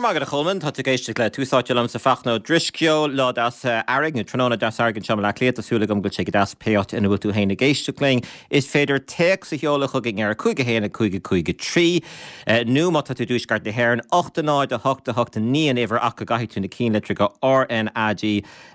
Go raibh maith agat a Cholmáin, tá tú ag éisteacht le Tús Áite liomsa Fachtna Ó Drisceoil, lá deas earraigh nó tráthnóna deas earraigh anseo i mBaile Átha Cliath, tá súil agam go bhfuil sé go deas pé áit ina bhfuil tú féin ag éisteacht linn. Is féidir téacs a sheoladh chugainn ar 5 1 5 5 3 nó má tá tú i dTuaisceart na hÉireann, 8 0 8 8 9 an uimhir ach go gcaithfidh tú na cinnlitreacha RnaG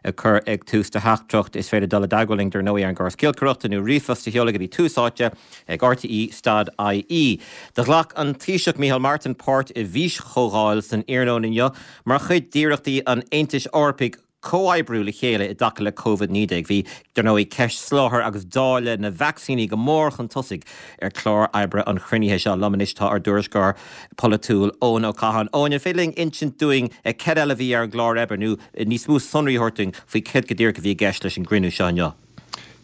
a chur ag tús do theachtaireacht. Is féidir dul i dteagmháil linn dar ndóigh ar an gcóras giolcaireachta nó ríomhphost a sheoladh go dtí Tús Áite ag RTÉ stad IE. Do ghlac an Taoiseach Micheál Martin páirt i bhfíschomhdháil san iarnóin inniu mar chuid d'iarrachtaí an Aontais Eorpaigh comhoibriú le chéile i dtaca le Covid-19. Bhí, dar ndóigh, ceist soláthair agus dáileadh na vacsaíní go mór chun tosaigh ar chlár oibre an chruinnithe seo. Liom anois tá ár dtuairisceoir polaitiúil Eoin Ó Catháin. Eoin, an féidir linn insint dúinn céard eile a bhí ar an gclár oibre nó níos mó sonraí a thabhairt dúinn faoi céard go díreach a bhí i gceist leis an gcruinniú seo inniu?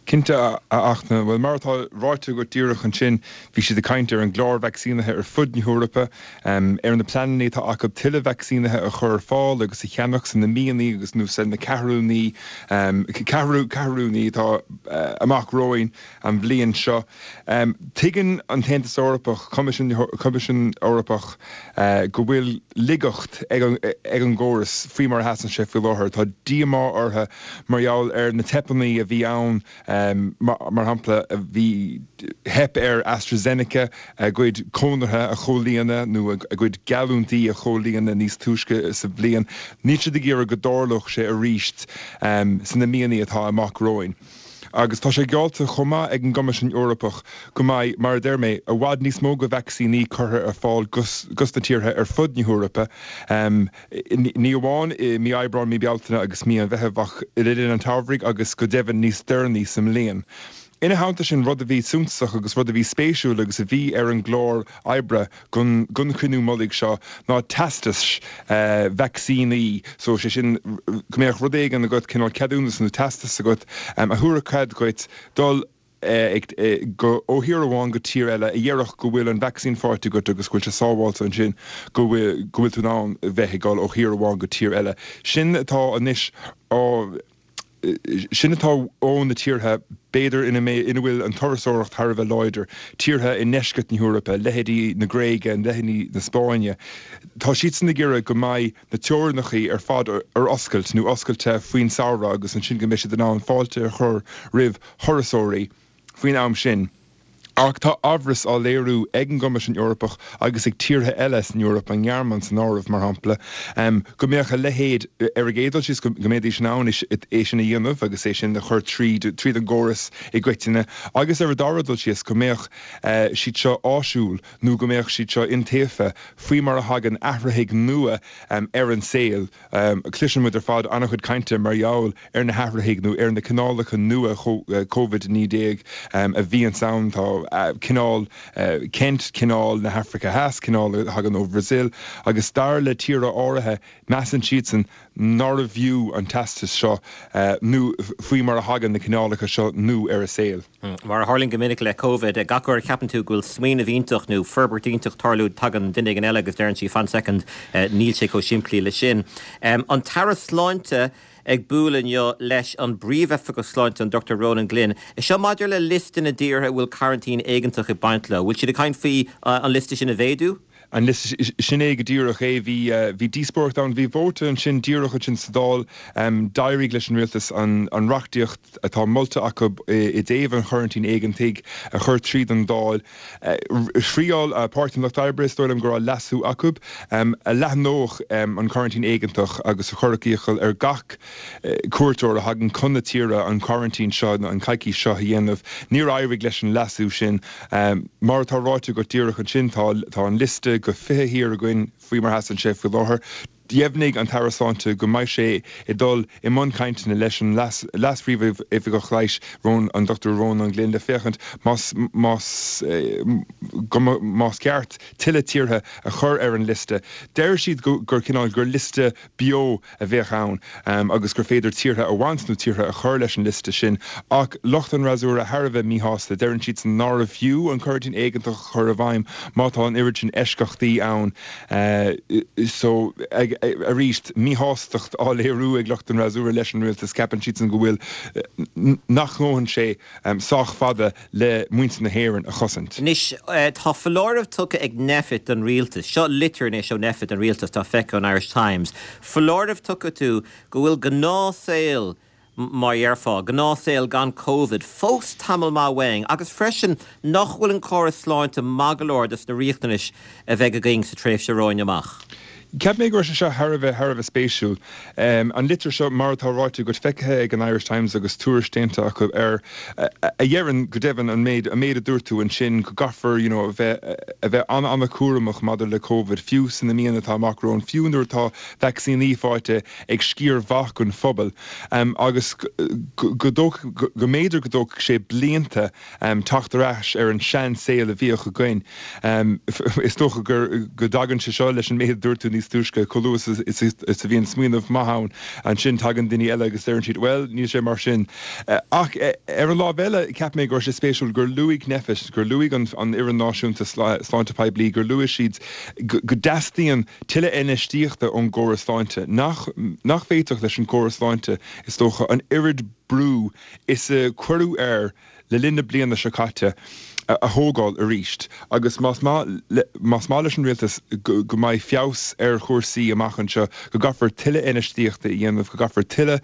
Cinnte, a Fhachtna. Bhuel, mar atá ráite agat díreach ansin, bhí siad ag caint ar an gclár vacsaínithe ar fud na hEorpa, ar na pleananna atá acu tuilleadh vacsaínithe a chur ar fáil agus a cheannach sna míonna agus nó sna ceathrúnaí, ceathrúnaí atá amach romhainn an bhliain seo. Tuigeann an tAontas Eorpach, Coimisiún Eorpach, go bhfuil laigeacht ag an gcóras faoi mar a sheasann sé faoi láthair. Tá díomá orthu mar gheall ar na teipeanna a bhí ann, mar shampla, bhí theip ar AstraZeneca a gcuid conartha a chomhlíonadh nó a gcuid geallúintí a chomhlíonadh níos túisce sa bhliain. Níl siad ag iarraidh go dtarlódh sé arís sna míonna atá amach romhainn. Agus tá sé geallta chomh maith ag an gCoimisiún Eorpach go mbeidh, mar a deir mé, i bhfad níos mó de vacsaíní curtha ar fáil dos na tíortha ar fud na hEorpa, ní amháin i mí Aibreáin, mí Bealtaine agus mí an Mheithimh ach le linn an tsamhraidh agus go deimhin níos deireanaí sa mbliain. Ina theannta sin, rud a bhí suntasach agus rud a bhí spéisiúil agus a bhí ar an gclár oibre don chruinniú mullaigh seo ná teastais vacsaíní, so sé sin go mbeadh rud éigin agat, cineál ceadúnas nó teastas agat a thabharfadh cead dhuit dul go ó thír amháin go tír eile a dhéarfadh go bhfuil an vacsaín faighte agat agus go bhfuil sé sábháilte ansin go bhfuil go bhfuil tú in ann bheith ag dul ó thír amháin go tír eile. Sin atá anois á Sin atá ó na tíortha, b'fhéidir, ina mbeidh, ina bhfuil an turasóireacht thar a bheith láidir, tíortha i ndeisceart na hEorpa, leithéidí na Gréige, leithéidí na Spáinne. Tá siadsan ag iarraidh go mbeidh na teorainneacha ar fad ar oscailt nó oscailte faoin samhradh agus ansin go mbeidh siad in ann fáilte a chur roimh thurasóirí faoin am sin. Ach tá amhras á léiriú ag an gCoimisiún Eorpach agus ag tíortha eile san Eoraip, an Ghearmáin san áireamh, mar shampla, go mbeadh a leithéid, ar an gcéad dul síos, go mbeidís in ann é sin a dhéanamh agus é sin a chur tríd tríd an gcóras i gcoitinne agus ar an dara dul síos, go mbeadh siad seo áisiúil nó go mbeadh siad seo iontaofa faoi mar a thagann athraithigh nua ar an saol. Cloiseann muid ar fad an-chuid cainte mar gheall ar na hathraithigh nó ar na cineálacha nua Covid-19 a bhíonns ann. Tá cineál Kent, cineál na hAfraice Theas, cineál a thagann ó Bhrazil agus dar le tíortha áirithe, measann siadsan nárbh fhiú an teastas seo nó faoi mar a thagann na cineálacha seo nua ar an saol. Mar a tharlaíonn go minic le Covid, gach uair a cheapann tú go bhfuil smaoineamh iontach nó forbairt iontach tarlú, tagann duine éigin eile agus deireann sí fan soicind, níl sé chomh simplí le sin. An tAire Sláinte ag bualadh inniu leis an bPríomhoifigeach Sláinte, an Dr Ronan Glynn. Seo maidir le liosta na dtíortha a bhfuil coraintín éigeantach ag baint leo. Bhfuil siad ag caint faoi an liosta sin a mhéadú? An liosta, sin é go díreach é. Bhí, bhí díospóireacht ann, bhí vóta ansin díreach ansin sa Dáil. D'éirigh leis an rialtas an, an reachtaíocht atá molta acu i dtaobh an choraintín éigeantaigh a chur tríd an Dáil. Thriáil Páirtí an Lucht Oibre, is dóigh liom go raibh leasú acu, a leathnódh an coraintín éigeantach agus a chuirfeadh iachall ar gach cuairteoir a thagann chun na tíre an coraintín seo, an coicís seo a dhéanamh. Níor éirigh leis an leasú sin. Mar atá ráite agat díreach ansin, tá tá an liosta de 20 thír againn faoi mar a sheasann sé faoi láthair. Dheimhnigh an tAire Sláinte go mbeidh sé ag dul i mbun cainteanna leis an Leas-Phríomhoifigeach Leighis, an Dr Ronan Glynn, le féachaint más más go más ceart tuilleadh tíortha a chur ar an liosta. Deir siad gur cineál gur liosta beo a bheadh ann agus gur féidir tíortha a bhaint nó tíortha a chur leis an liosta sin. Ach lucht an fhreasúra thar a bheith míshásta. Deireann siadsan nárbh fhiú an coraintín éigeantach a chur i bhfeidhm má tá an oiread sin eisceachtaí ann. So ag. Arís, míshástacht á léiriú ag lucht an fhreasúra leis an rialtas, ceapann siadsan go bhfuil, nach ngabhann sé sách fada le muintir na hÉireann a chosaint. Anois, tá foláireamh tugtha ag Nphet don rialtas, seo litir anois ó Nphet don rialtas atá feicthe ón Irish Times, foláireamh tugtha acu go bhfuil gnáthshaol, mar a dhéarfá, gnáthshaol gan Covid, fós tamall maith uainn agus freisin nach bhfuil an córas sláinte maith go leor dos na riachtanais a bheidh againn sa tréimhse romhainn amach. Cheap mé go raibh sé seo thar a bheith, thar a bheith spéisiúil. An litir seo, mar atá ráite agat, feicthe ag an Irish Times agus tuairisc déanta acu air, a dheireann, go deimhin, an méid, an méid a dúirt tú ansin, go gcaithfear, you know, a bheith, a bheith an-an-chúramach maidir le Covid, fiú sna míonna atá amach romhainn, fiú nuair atá vacsaíní faighte ag sciar mhaith den phobal agus go mb'fhéidir go dtógfaidh sé blianta teacht ar ais ar an sean-saol a bhíodh againn. Is dócha go dtagann sé seo leis an méid a dúirt tú níos túisce, chomh luath is a bhíonn smaoineamh maith ann, ansin tagann daoine eile agus deireann siad, bhuel, níl sé mar sin. Ach ar an lámh eile, cheap mé go raibh sé spéisiúil gur luaigh Nphet, gur luaigh an Fhoireann Náisiúnta Sláinte Poiblí, gur luaigh siad go dteastaíonn tuilleadh infheistíochta ón gcóras sláinte, nach nach bhféadfadh leis an gcóras sláinte, is dócha, an oiread brú is a cuireadh air le linn na bliana seo caite a thógáil arís. Agus más maith más maith leis an rialtas go go mbeidh feabhas ar chúrsaí amach anseo, go gcaithfear tuilleadh infheistíochta a dhéanamh, go gcaithfear tuilleadh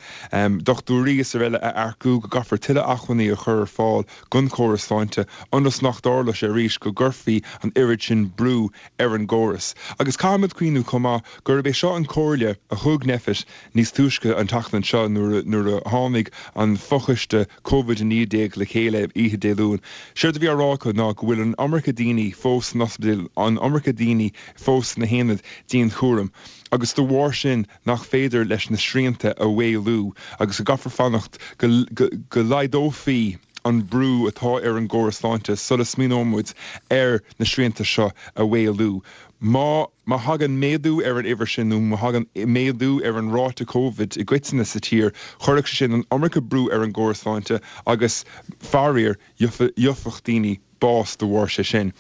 dochtúirí is araile a earcú, go gcaithfear tuilleadh acmhainní a chur ar fáil don chóras sláinte, ionas nach dtarlódh sé arís go gcuirfí an oiread sin brú ar an gcóras. Agus caithfimid cuimhniú chomh maith gurb é seo an chomhairle a thug Nphet níos túisce an tseachtain seo nuair a tháinig an fochoiste Covid-19 le chéile oíche Dé Luain. Séard a bhí á rá acu ná go bhfuil an iomarca daoine fós san ospidéal, an iomarca daoine fós sna haonaid dianchúraim agus de bharr sin nach féidir leis na srianta a mhaolú agus go gcaithfear fanacht go laghdófaí an brú atá ar an gcóras sláinte sula smaoineoimid ar na srianta seo a mhaolú. Má má thagann méadú ar an uimhir sin nó má thagann méadú ar an ráta Covid i gcoitinne sa tír, chuirfeadh sé sin an iomarca brú ar an gcóras sláinte agus, faraor, gheobhadh daoine bás de bharr sé sin.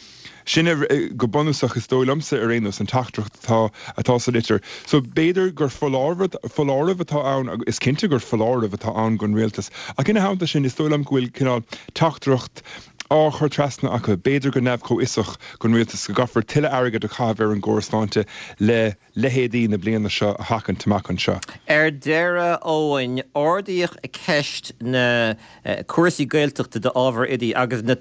Sin go bunúsach, is dóigh liomsa ar aon nós, an teachtaireacht atá atá sa litir. So b'fhéidir gur foláireamh foláireamh atá ann, is cinnte gur foláireamh atá ann don rialtas. Ach ina theannta sin, is dóigh liom go bhfuil cineál teachtaireacht á chur trasna acu, b'fhéidir go neamh-chomhfhiosach, don rialtas go gcaithfear tuilleadh airgid a chaitheamh ar an gcóras sláinte le leithéidí na bliana seo a sheachaint amach anseo. Ar deireadh, Eoin, ardaíodh ceist na cúrsaí Gaeltachta d'ábhair oidí agus na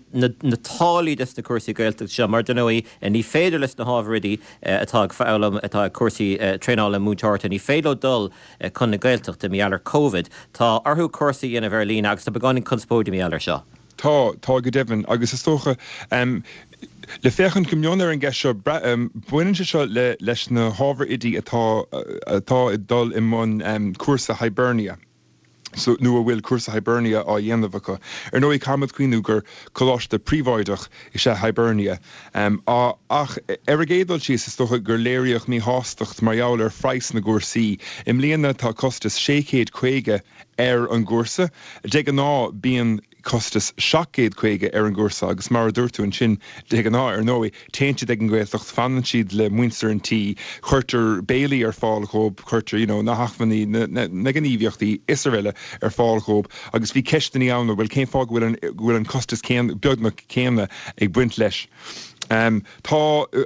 táillí dos na cúrsaí Gaeltachta seo mar, dar ndóigh, ní féidir leis na hábhair oidí atá ag foghlaim, atá ag cúrsaí traenála múinteoireachta, ní féidir leo dul chun na Gaeltachta mar gheall ar Covid. Tá orthu cúrsa a dhéanamh ar líne agus tá beagáinín conspóide mar gheall air seo. Tá, tá go deimhin, agus is dócha, le féachaint go mion ar an gceist seo, baineann sé seo le, leis na hábhair oidí atá, atá ag dul i mbun cúrsa Hibernia, so, nó a bhfuil cúrsa Hibernia á dhéanamh acu. Ar ndóigh, caithfimid cuimhniú gur coláiste príobháideach is ea Hibernia. Ach ar an gcéad dul síos, is dócha gur léiríodh míshástacht mar gheall ar phraghas na gcúrsaí. I mbliana tá costas 650 ar an gcúrsa. De ghnáth bíonn costas 750 ar an gcúrsa agus mar a dúirt tú ansin, de ghnáth ar ndóigh, téann siad ag an Ghaeltacht, fanann siad le muintir an tí, cuirtear béilí ar fáil dhóibh, cuirtear you know na hacmhainní, na, na, na gníomhaíochtaí is araile ar fáil dhóibh agus bhí ceisteanna ann, bhuel cén fáth go bhfuil an, go bhfuil an costas céanna, beagnach céanna ag baint leis. Tá,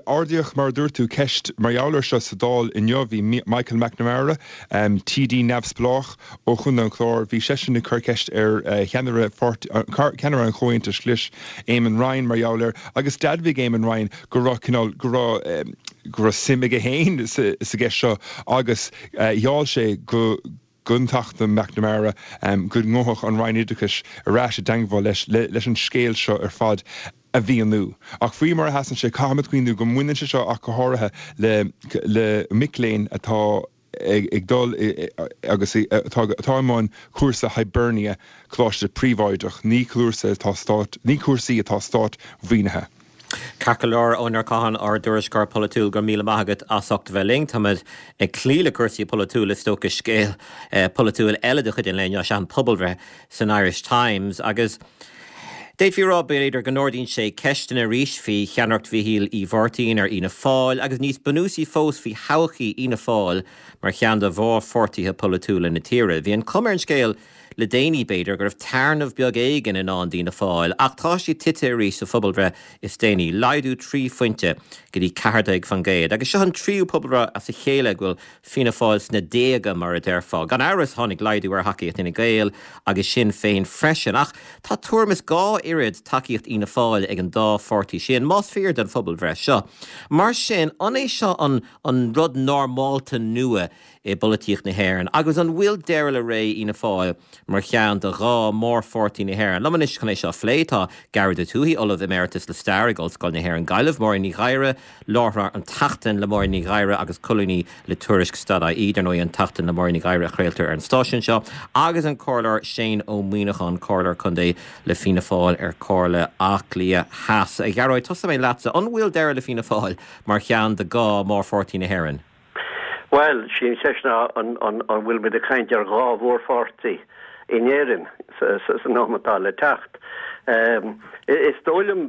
ardaíodh, mar a dúirt tú, ceist mar gheall air seo sa Dáil inniu. Bhí Michael McNamara, TD neamhspleách ó Chontae an Chláir, bhí seisean ag cur ceist ar cheannaire ceannaire an Chomhaontais Ghlais, Eamon Ryan, mar gheall air agus d'admhaigh Eamon Ryan go raibh cineál, go raibh, go raibh suim aige féin sa gceist seo agus gheall sé go. don Teachta McNamara go ngabhfadh an Roinn Oideachais ar ais i dteangmháil leis leis an scéal seo ar fad a mhíniú. Ach faoi mar a sheasann sé, caithfimid cuimhniú go mbaineann sé seo ach go háirithe le le mic léinn atá ag dul agus atá atá i mbun cúrsa Hibernia, coláiste príobháideach, ní cúrsa atá stát ní cúrsaí atá stát-mhaoinithe. Ceart go leor, Eoin Ó Catháin, ár dtuairisceoir polaitiúil, go raibh míle maith agat as ucht a bheith linn. Táimid ag cloí le cúrsaí polaitiúla, is dócha, scéal polaitiúil eile de chuid an lae inniu is ea an pobalbhreith san Irish Times agus. D'fhéadfaí a rá, b'fhéidir, go n-ardaíonn sé ceisteanna arís faoi cheannaireacht Mhichíl Uí Mháirtín ar Fhianna Fáil agus níos bunúsaí fós faoi thodhchaí Fhianna Fáil mar cheann de mhórpháirtithe polaitiúla na tíre. Bhí an chuma ar an scéal le déanaí, b'fhéidir, go raibh téarnamh beag éigin i ndán d'Fhianna Fáil ach tá siad tite arís sa phobalbhreith is déanaí, laghdú 3 phointe go dtí 14% agus seo an tríú pobalbhreith as a chéile go bhfuil Fianna Fáil sna déaga, mar a déarfá. Gan amhras, tháinig laghdú ar thacaíocht Fhine Gael agus Sinn Féin freisin, ach tá tuairim is 2 oiread tacaíocht Fhianna Fáil ag an dá pháirtí sin, más fíor don phobalbhreith seo. Mar sin, an é seo an an rud normálta nua i bpolaitíocht na hÉireann agus an bhfuil deireadh le ré Fhianna Fáil mar cheann de dhá mhórpháirtí na hÉireann? Liom anois chun é seo a phlé tá Gearóid Ó Tuathaigh, Ollamh Emeritus le Stair ag Ollscoil na hÉireann Gaillimh, Máirín Ní Ghadhra, Láithreoir An tSeachtain le Máirín Ní Ghadhra agus colúnaí le Tuairisc Stad.ie, dar ndóigh An tSeachtain le Máirín Ní Ghadhra a chraoltar ar an stáisiún seo, agus an Comhairleoir Shane Ó Muíneacháin, Comhairleoir Contae le Fianna Fáil ar Chomhairle Átha Cliath Theas. A Ghearóid, tosóidh mé leatsa. An bhfuil deireadh le Fianna Fáil mar cheann de dhá mhórpháirtí na hÉireann? Bhuel, sí an cheist ná an bhfuil muid ag caint ar dhá mhórpháirtí in Éirinn san am atá le teacht. Is dóigh liom,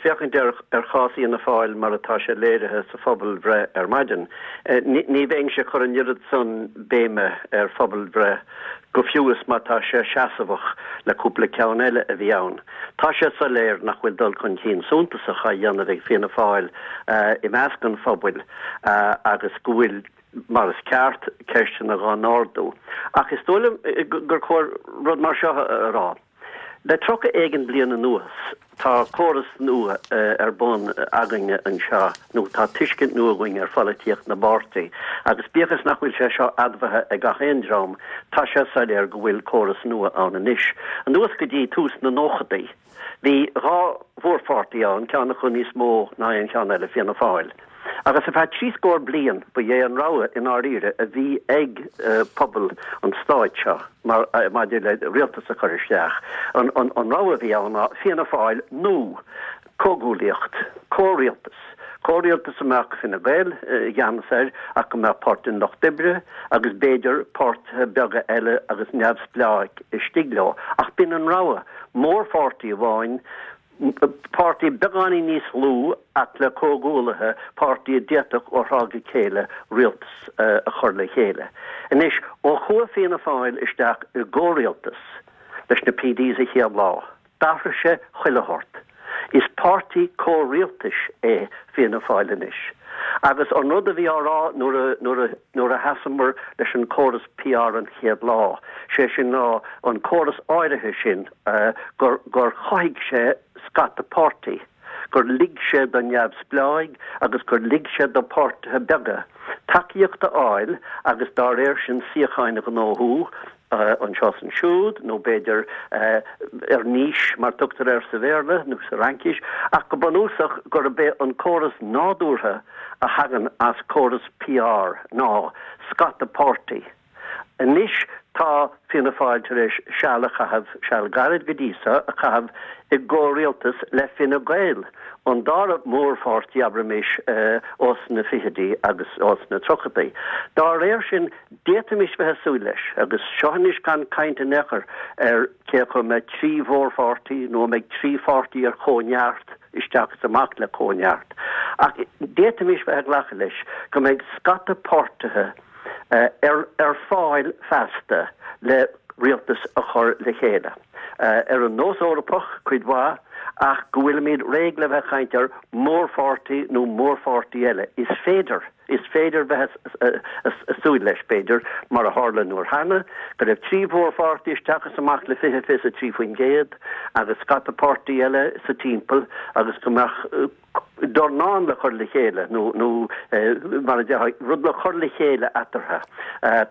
féachaint ar chás Fhianna Fáil mar atá sé léirithe sa phobalbhreith ar maidin, ní bheinnse ag cur an oiread san béime ar phobalbhreith, go fiú is má tá sé seasmhach le cúpla ceann eile a bhí ann. Tá sé soiléir nach bhfuil dul chun cinn suntasach á dhéanamh ag Fianna Fáil i measc an phobail agus go bhfuil, mar is ceart, ceisteanna dhá n-ardú. Ach is dóigh liom gur chóir rud mar seo a rá. Le 30 éigin bliain anuas, tá córas nua ar bun againne anseo, nó tá tuiscint nua againn ar pholaitíocht na bpáirtí, agus bíodh is nach bhfuil sé seo admhaithe ag gach aon dream, tá sé soiléir go bhfuil córas nua ann anois. Anuas go dtí tús na nóchadaí, bhí dhá mhórpháirtí ann, ceann acu níos mó ná aon cheann eile, Fianna Fáil. Agus ar feadh trí scór bliain ba é an rogha i ndáiríre a bhí ag pobal an stáit seo mar maidir le rialtas a chur isteach. An rogha a bhí ann ná Fianna Fáil nó comhghuaillíocht, comhrialtas. Comhrialtas a mbeadh Fine Gael i gceannas air ach go mbeadh Páirtí an Lucht Oibre agus b'fhéidir páirtithe beaga eile agus neamhspleáigh istigh leo. Ach b'in an rogha. Mórpháirtí amháin Páirtí beagáinín níos lú ach le comhghuaillithe, páirtí a d'fhéadfadh ó thráth go chéile rialtas a chur le chéile. Anois, ó chuaigh Fianna Fáil isteach i gcomhrialtas leis na PDs an chéad lá, d'athraigh sé chuile shórt. Is páirtí comhrialtais é Fianna Fáil anois. Agus an rud a bhí á rá nuair a, nuair a, nuair a sheasamar leis an córas PR an chéad lá, sé sin ná an córas áirithe sin, gur gur chothaigh sé scata páirtí, gur lig sé do neamhspleáigh agus gur lig sé do páirtithe beaga tacaíocht a fháil agus dá réir sin suíocháin a ghnóthú anseo is ansiúd nó b'fhéidir ar niche mar tugtar air sa Bhéarla nó sa Fhraincis ach go bunúsach gurb é an córas nádúrtha a thagann as córas PR ná scata páirtí. Anois tá Fianna Fáil tar éis seal a chaitheamh, seal gairid go dtí so, a chaitheamh i gcomhrialtas le Fine Gael, an dara mórpháirtí, abraimis, ós na fichidí agus ós na tríochaidí. Dá réir sin, d'fhéadfaimis bheith ag súil leis, agus seo anois gan caint in aon chor ar cé acu an mbeidh trí mhórpháirtí nó an mbeidh trí pháirtí ar chomhneart isteach is amach le comhneart, ach d'fhéadfaimis bheith ag glacadh leis go mbeidh scata páirtithe, ar fáil feasta le rialtas a chur le chéile, ar an nós Eorpach cuid mhaith, ach go bhfuilimid réidh le bheith ag caint ar mhórpháirtí nó mórpháirtí eile. Is féidir, is féidir bheith ag súil leis, b'fhéidir, mar a tharla an uair cheana, go raibh trí mhórpháirtí isteach is amach le 20, 23% agus scata páirtí eile sa timpeall agus go mbeadh dornán le cur le chéile, nó, nó mar a déarfá, rud le cur le chéile eatarthu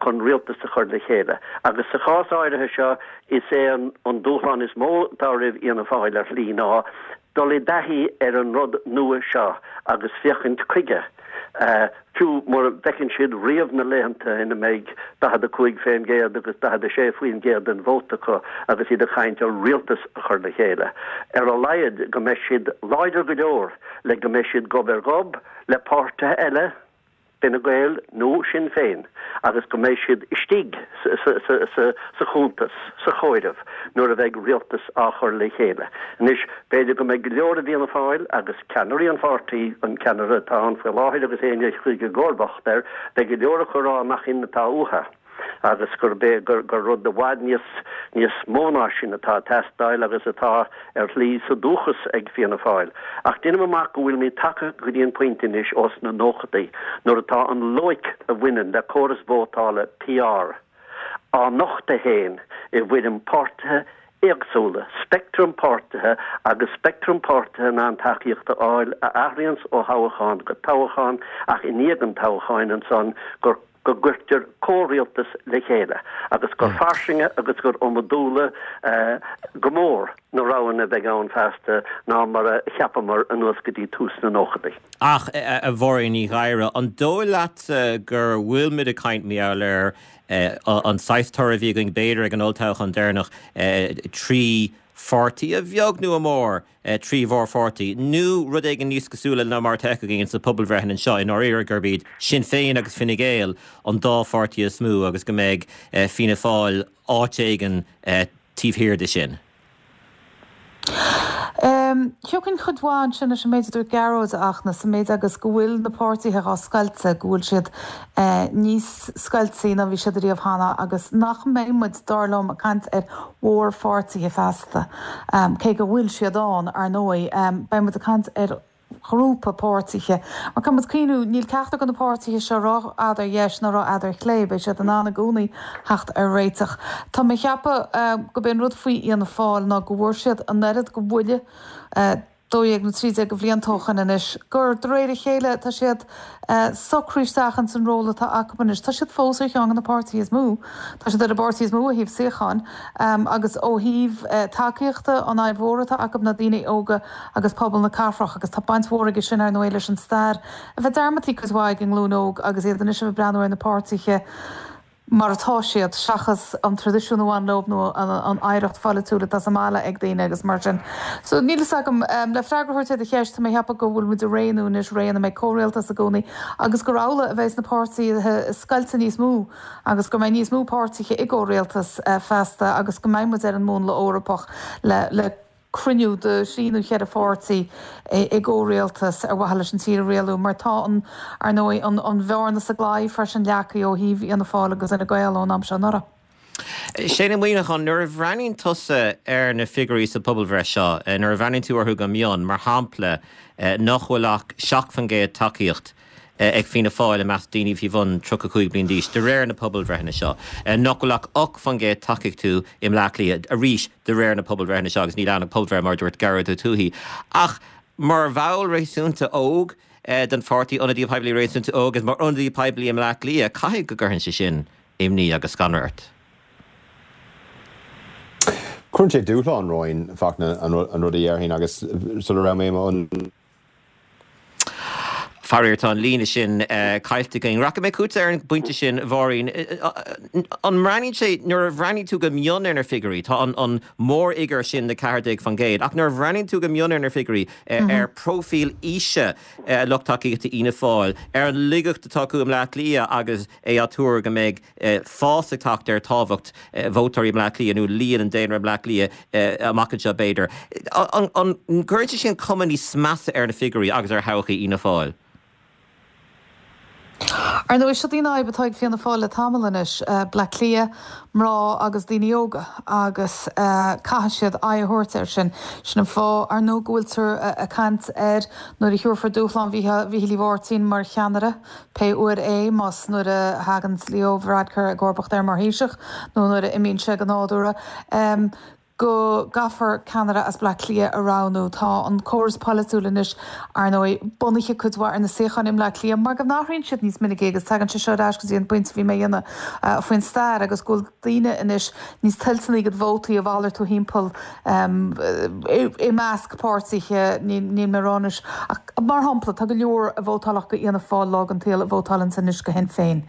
chun rialtas a chur le chéile. Agus sa chás áirithe seo, is é an, an dúshlán is mó atá roimh Fhianna Fáil ar shlí ná dul i dtaithí ar an rud nua seo agus féachaint chuige, Fiú mura bhfeiceann siad riamh na laethanta ina mbeidh 45% agus 46% den vóta acu agus iad ag caint ar rialtas a chur le chéile, ar a laghad go mbeidh siad láidir go leor le go mbeidh siad gob ar ghob le páirtithe eile. Fine Gael nó Sinn Féin agus go mbeidh siad istigh sa chuntas, sa chomhaireamh nuair a bheidh rialtas á chur le chéile. Anois, b'fhéidir go mbeidh go leor i bhFianna Fáil agus ceannairí an pháirtí, an ceannaire atá ann faoi láthair agus éinne a chuirfidh i gcomharbacht air, beidh go leor acu ag rá nach in atá uathu. agus gurb é gur rud i bhfad níos níos mó ná sin atá ag teastáil agus atá ar shlí sa dúchas ag Fianna Fáil. Ach déanaim amach go bhfuilimid tagtha go dtí an pointe anois ós na nóchadaí nuair atá an loighic a bhaineann le córas vótála PR á nochtadh féin i bhfoirm páirtithe éagsúla, speictream páirtithe agus speictream páirtithe in ann tacaíocht a fháil a athraíonns ó thoghchán go toghchán ach i ndiaidh an toghcháin ansan gur go gcuirtear comhrialtas le chéile agus gur fairsinge agus gur iomadúla go mór na roghanna a bheidh ann feasta ná mar a cheapamar anuas go dtí tús na nóchadaí. Ach, a Mháirín Ní Ghadhra, an dóigh leatsa gur bhfuil muid ag caint mar gheall ar an saghas toradh a bhí againn b'fhéidir ag an olltoghchán deireanach, 3 pháirtí, a bheag nó a mhór, 3 mhórpháirtí, nó rud éigin níos cosúla ná mar atá againn sna pobalbhreitheanna anseo, i ndáiríre, gurb iad Sinn Féin agus Fine Gael an dá pháirtí is mó agus go mbeidh Fianna Fáil áit éigin taobh thiar de sin. Thiocfainn cuid mhaith ansin leis an méid a dúirt Gearóid, a Fhachtna, sa méid agus go bhfuil na páirtithe á scoilteadh, go bhfuil siad níos scoiltí ná bhí siad ariamh cheana agus nach mbeidh muid, dar liom, ag caint ar mhórpháirtithe feasta, cé go bhfuil siad ann, ar ndóigh. Beidh muid ag caint ar ghrúpa páirtithe. Mar caithfidh muid cuimhniú, níl ceachtar de na páirtithe seo rófhada ar dheis ná rófhada ar chlé, beidh siad in ann i gcónaí theacht ar réiteach. Tá mé ag ceapadh gurb é an rud faoi Fhianna Fáil ná go bhfuair siad an oiread de bhuille, 12 nó 13 de bhlianta ó shoin anois, gur de réir a chéile tá siad socraithe isteach ins an ról atá acu anois. Tá siad fós ar cheann de na páirtithe is mó. Tá siad ar an bpáirtí is mó ó thaobh suíocháin agus ó thaobh tacaíochta, an fhadhb mhór atá acu ná daoine óga agus pobal na cathrach agus tá baint mhór aige sin ar ndóigh leis an stair a bheith dearmadtaí cuid mhaith ag an nglúin óg agus iad anois a bheith ag breathnú ar na páirtithe mar atá siad, seachas an traidisiún a bhain leo nó an oidhreacht pholaitiúil atá sa mbaile ag daoine agus mar sin. So, níl fhios agam. Le freagra a thabhairt ar do cheist, tá mé ag ceapadh go bhfuil muid i ré nua anois, ré ina mbeidh comhrialtas i gcónaí agus gur amhlaidh a bheas na páirtithe scoilte níos mó agus go mbeidh níos mó páirtithe i gcomhrialtas feasta agus go mbeidh muid ar an múnla Eorpach le le cruinniú de thrí nó cheithre pháirtí i gcomhrialtas ar mhaithe leis an tír a rialú, mar tá an, ar ndóigh, an an bhearna sa gclaí freisin leagtha ó thaobh Fhianna Fáil agus Fhine Gael ón am seo anuraidh. Shane Ó Muíneacháin, nuair a bhreathnaíonn tusa ar na figiúirí sa phobalbhreith seo, nuair a bhreathnaíonn tú orthu go mion, mar shampla, nach bhfuil ach 7% tacaíocht ag Fianna Fáil i measc daoine faoi bhun 35 bliain d'aois, de réir na pobalbhreitheanna seo, nach bhfuil ach 8% tacaíocht acu i mBleá Cliath, arís de réir na pobalbhreitheanna seo agus níl ann ach pobalbhreith mar a dúirt Gearóid Ó Tuathaigh. Ach mar bhall réasúnta óg den pháirtí, ionadaí poiblí réasúnta óg agus mar ionadaí poiblí i mBleá Cliath, caithfidh go gcuireann sé sin imní agus scanradh ort. Cuireann sé dúshlán romhainn, Fachtna, an rud a dhéarfainn agus sula raibh mé i mo Faraor, tá an líne sin caillte againn. Rachaidh mé chugatsa ar an bpointe sin, a Mháirín. An mbreathnaíonn sé, nuair a bhreathnaíonn tú go mion ar na figiúirí, tá an mórfhigiúr sin de 14%, ach nuair a bhreathnaíonn tú go mion ar na figiúirí, ar próifíl aoise lucht tacaíochta Fhianna Fáil, ar an laigeacht atá acu i mBleá Cliath agus é á tuar go mbeidh fás ag teacht ar tábhacht vótóirí i mBleá Cliath nó líon an daonra i mBleá Cliath amach anseo b'fhéidir. An gcuireann sé sin cuma níos measa ar na figiúirí agus ar thodhchaí Fhianna Fáil? Ar ndóigh, seo í an fhadhb atá ag Fianna Fáil le tamall anois, Bleá Cliath, mná agus daoine óga, agus caithfidh siad aghaidh a thabhairt air sin. Sin an fáth, ar ndóigh, go bhfuiltear ag caint ar nuair a thiúrfar dúshlán Mhíchíl Uí Mháirtín mar cheannaire, Pé uair é, más nuair a thagann Leo Varadkar i gcomharbacht air mar Thaoiseach nó nuair a imíonn sé go nádúrtha, go gcaithfear ceannaire as Bleá Cliath a roghnú. Tá an córas polaitiúil anois, ar ndóigh, bunaithe cuid mhaith ar na suíocháin i mBleá Cliath mar go n-athraíonn siad níos minicí agus tagann sé seo ar ais go dtí an pointe a bhí mé a dhéanamh faoin stair agus go bhfuil daoine anois níos toilteanaí a gcuid vótaí a mhalartú thimpeall i measc páirtithe, níl mé ag rá anois, ach mar shampla, tá go leor a vótálfadh go Fhianna Fáil lá den tsaol a vótálanns anois go Shinn Féin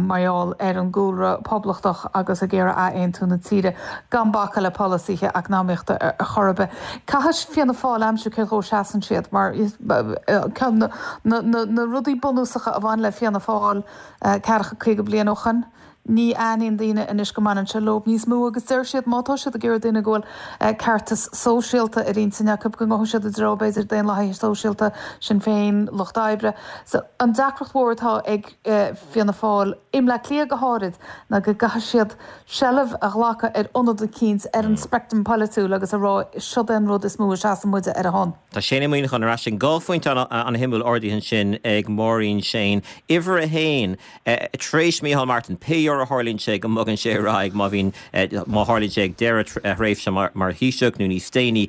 mar gheall ar an gcúlra poblachtach agus ag iarraidh athaontú na tíre, gan bacadh le. polasaithe eacnamaíochta ar chor ar bith. Caithfidh Fianna Fáil aimsiú cé dhó seasann siad mar ceann na rudaí bunúsacha a bhain le Fianna Fáil ceathracha 50 bliain ó shoin, Ní aithníonn daoine anois go mbaineann sé leo níos mó agus deir siad má tá siad ag iarraidh daoine go bhfuil ceartas sóisialta ar intinn acu go ngabhfaidh siad i dtreo b'fhéidir Daonlathaithe Sóisialta, Sinn Féin, Lucht Oibre. So an deacracht mhór atá ag Fianna Fáil, i mBleá Cliath go háirid, ná go gcaithfidh siad seilbh a ghlacadh ar ionad eicínt ar an speictream polaitiúil agus a rá siod é an rud is mó a seasann muide ar a shon. Tá Shane Ó Muíneacháin ar ais linn. 2 phointe an-shuimiúil ardaithe ansin ag Máirín Shane. Uimhir a haon, tar éis Micheál Martin, pé uair a tharlaíonn sé go mbogann sé ar aghaidh, má bhíonn, má tharlaíonn sé ag deireadh a thréimhse mar Thaoiseach nó níos déanaí,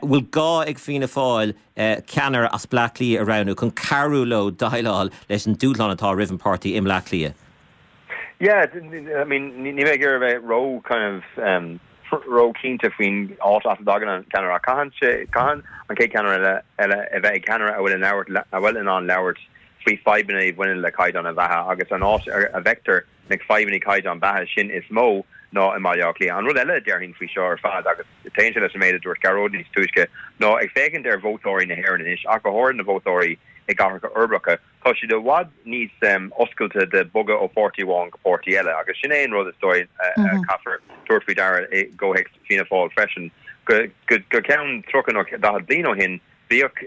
bhfuil gá ag Fianna Fáil ceannaire as Bleá Cliath a roghnú chun cabhrú leo déileáil leis an dúshlán atá roimh an páirtí i mBleá Cliath? Yeah, I mean, níl mé ag iarraidh a bheith ró kind of um, ró-chinnte faoin áit as a dtagann an ceannaire ach caitheann sé, caitheann an chéad cheannaire eile, eile a bheith ag ceannaire a bhfuil in labhairt, a bhfuil in ann labhairt faoi fadhbanna a bhaineann le caighdeán na beatha agus an áit a bhfeictear na fadhbanna caighdeán beatha sin is mó ná i mBaile Átha Cliath. An rud eile a déarfainn faoi seo ar fad agus téann sé leis an méid a dúirt Gearóid níos túisce ná ag féachaint ar vótóirí na hÉireann anois ach go háirithe na vótóirí i gcathracha uirbeacha, Tá siad i bhfad níos oscailte de bogadh ó pháirtí amháin go páirtí eile agus sin é an rud is dóigh a caithfear tabhairt faoi deara i gcomhthéacs Fianna Fáil freisin. Go ceann 30 nó 40 bliain ó shin bhíodh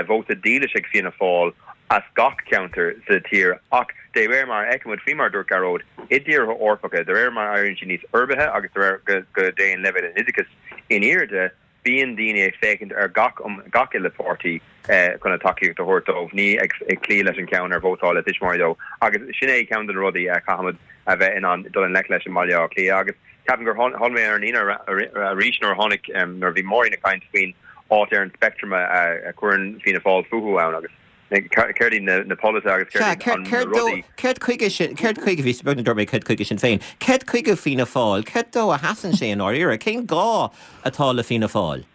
vóta dílis ag Fianna Fáil as gach ceantar sa tír ach de réir mar a fheicimid, faoi mar a dúirt Gearóid, i dtíortha Eorpacha, de réir mar a éiríonn siad níos uirbithe agus de réir go dtéann leibhéal an oideachais in airde, Bíonn daoine ag féachaint ar gach gach uile pháirtí chun a dtacaíocht a thabhairt dóibh, ní ag cloí leis an cheann ar vótáil a dtuismitheoirí dó. Agus sin é ceann de na rudaí a chaithfimid a bheith in ann dul i ngleic leis i mBaile Átha Cliath. Agus ceapaim gur tháinig mé ar an líne arís nuair a tháinig nuair a bhí Máirín ag caint faoin áit ar an speictream a chuireann Fianna Fáil fúthu ann agus céard iad na polasaithe agus céard iad na rudaí. Céard chuige sin, céard chuige, bhí beag nach dúirt mé céard chuige Sinn Féin, céard chuige Fianna Fáil, céard dó a sheasann sé i ndáiríre, cén gá atá le Fianna Fáil?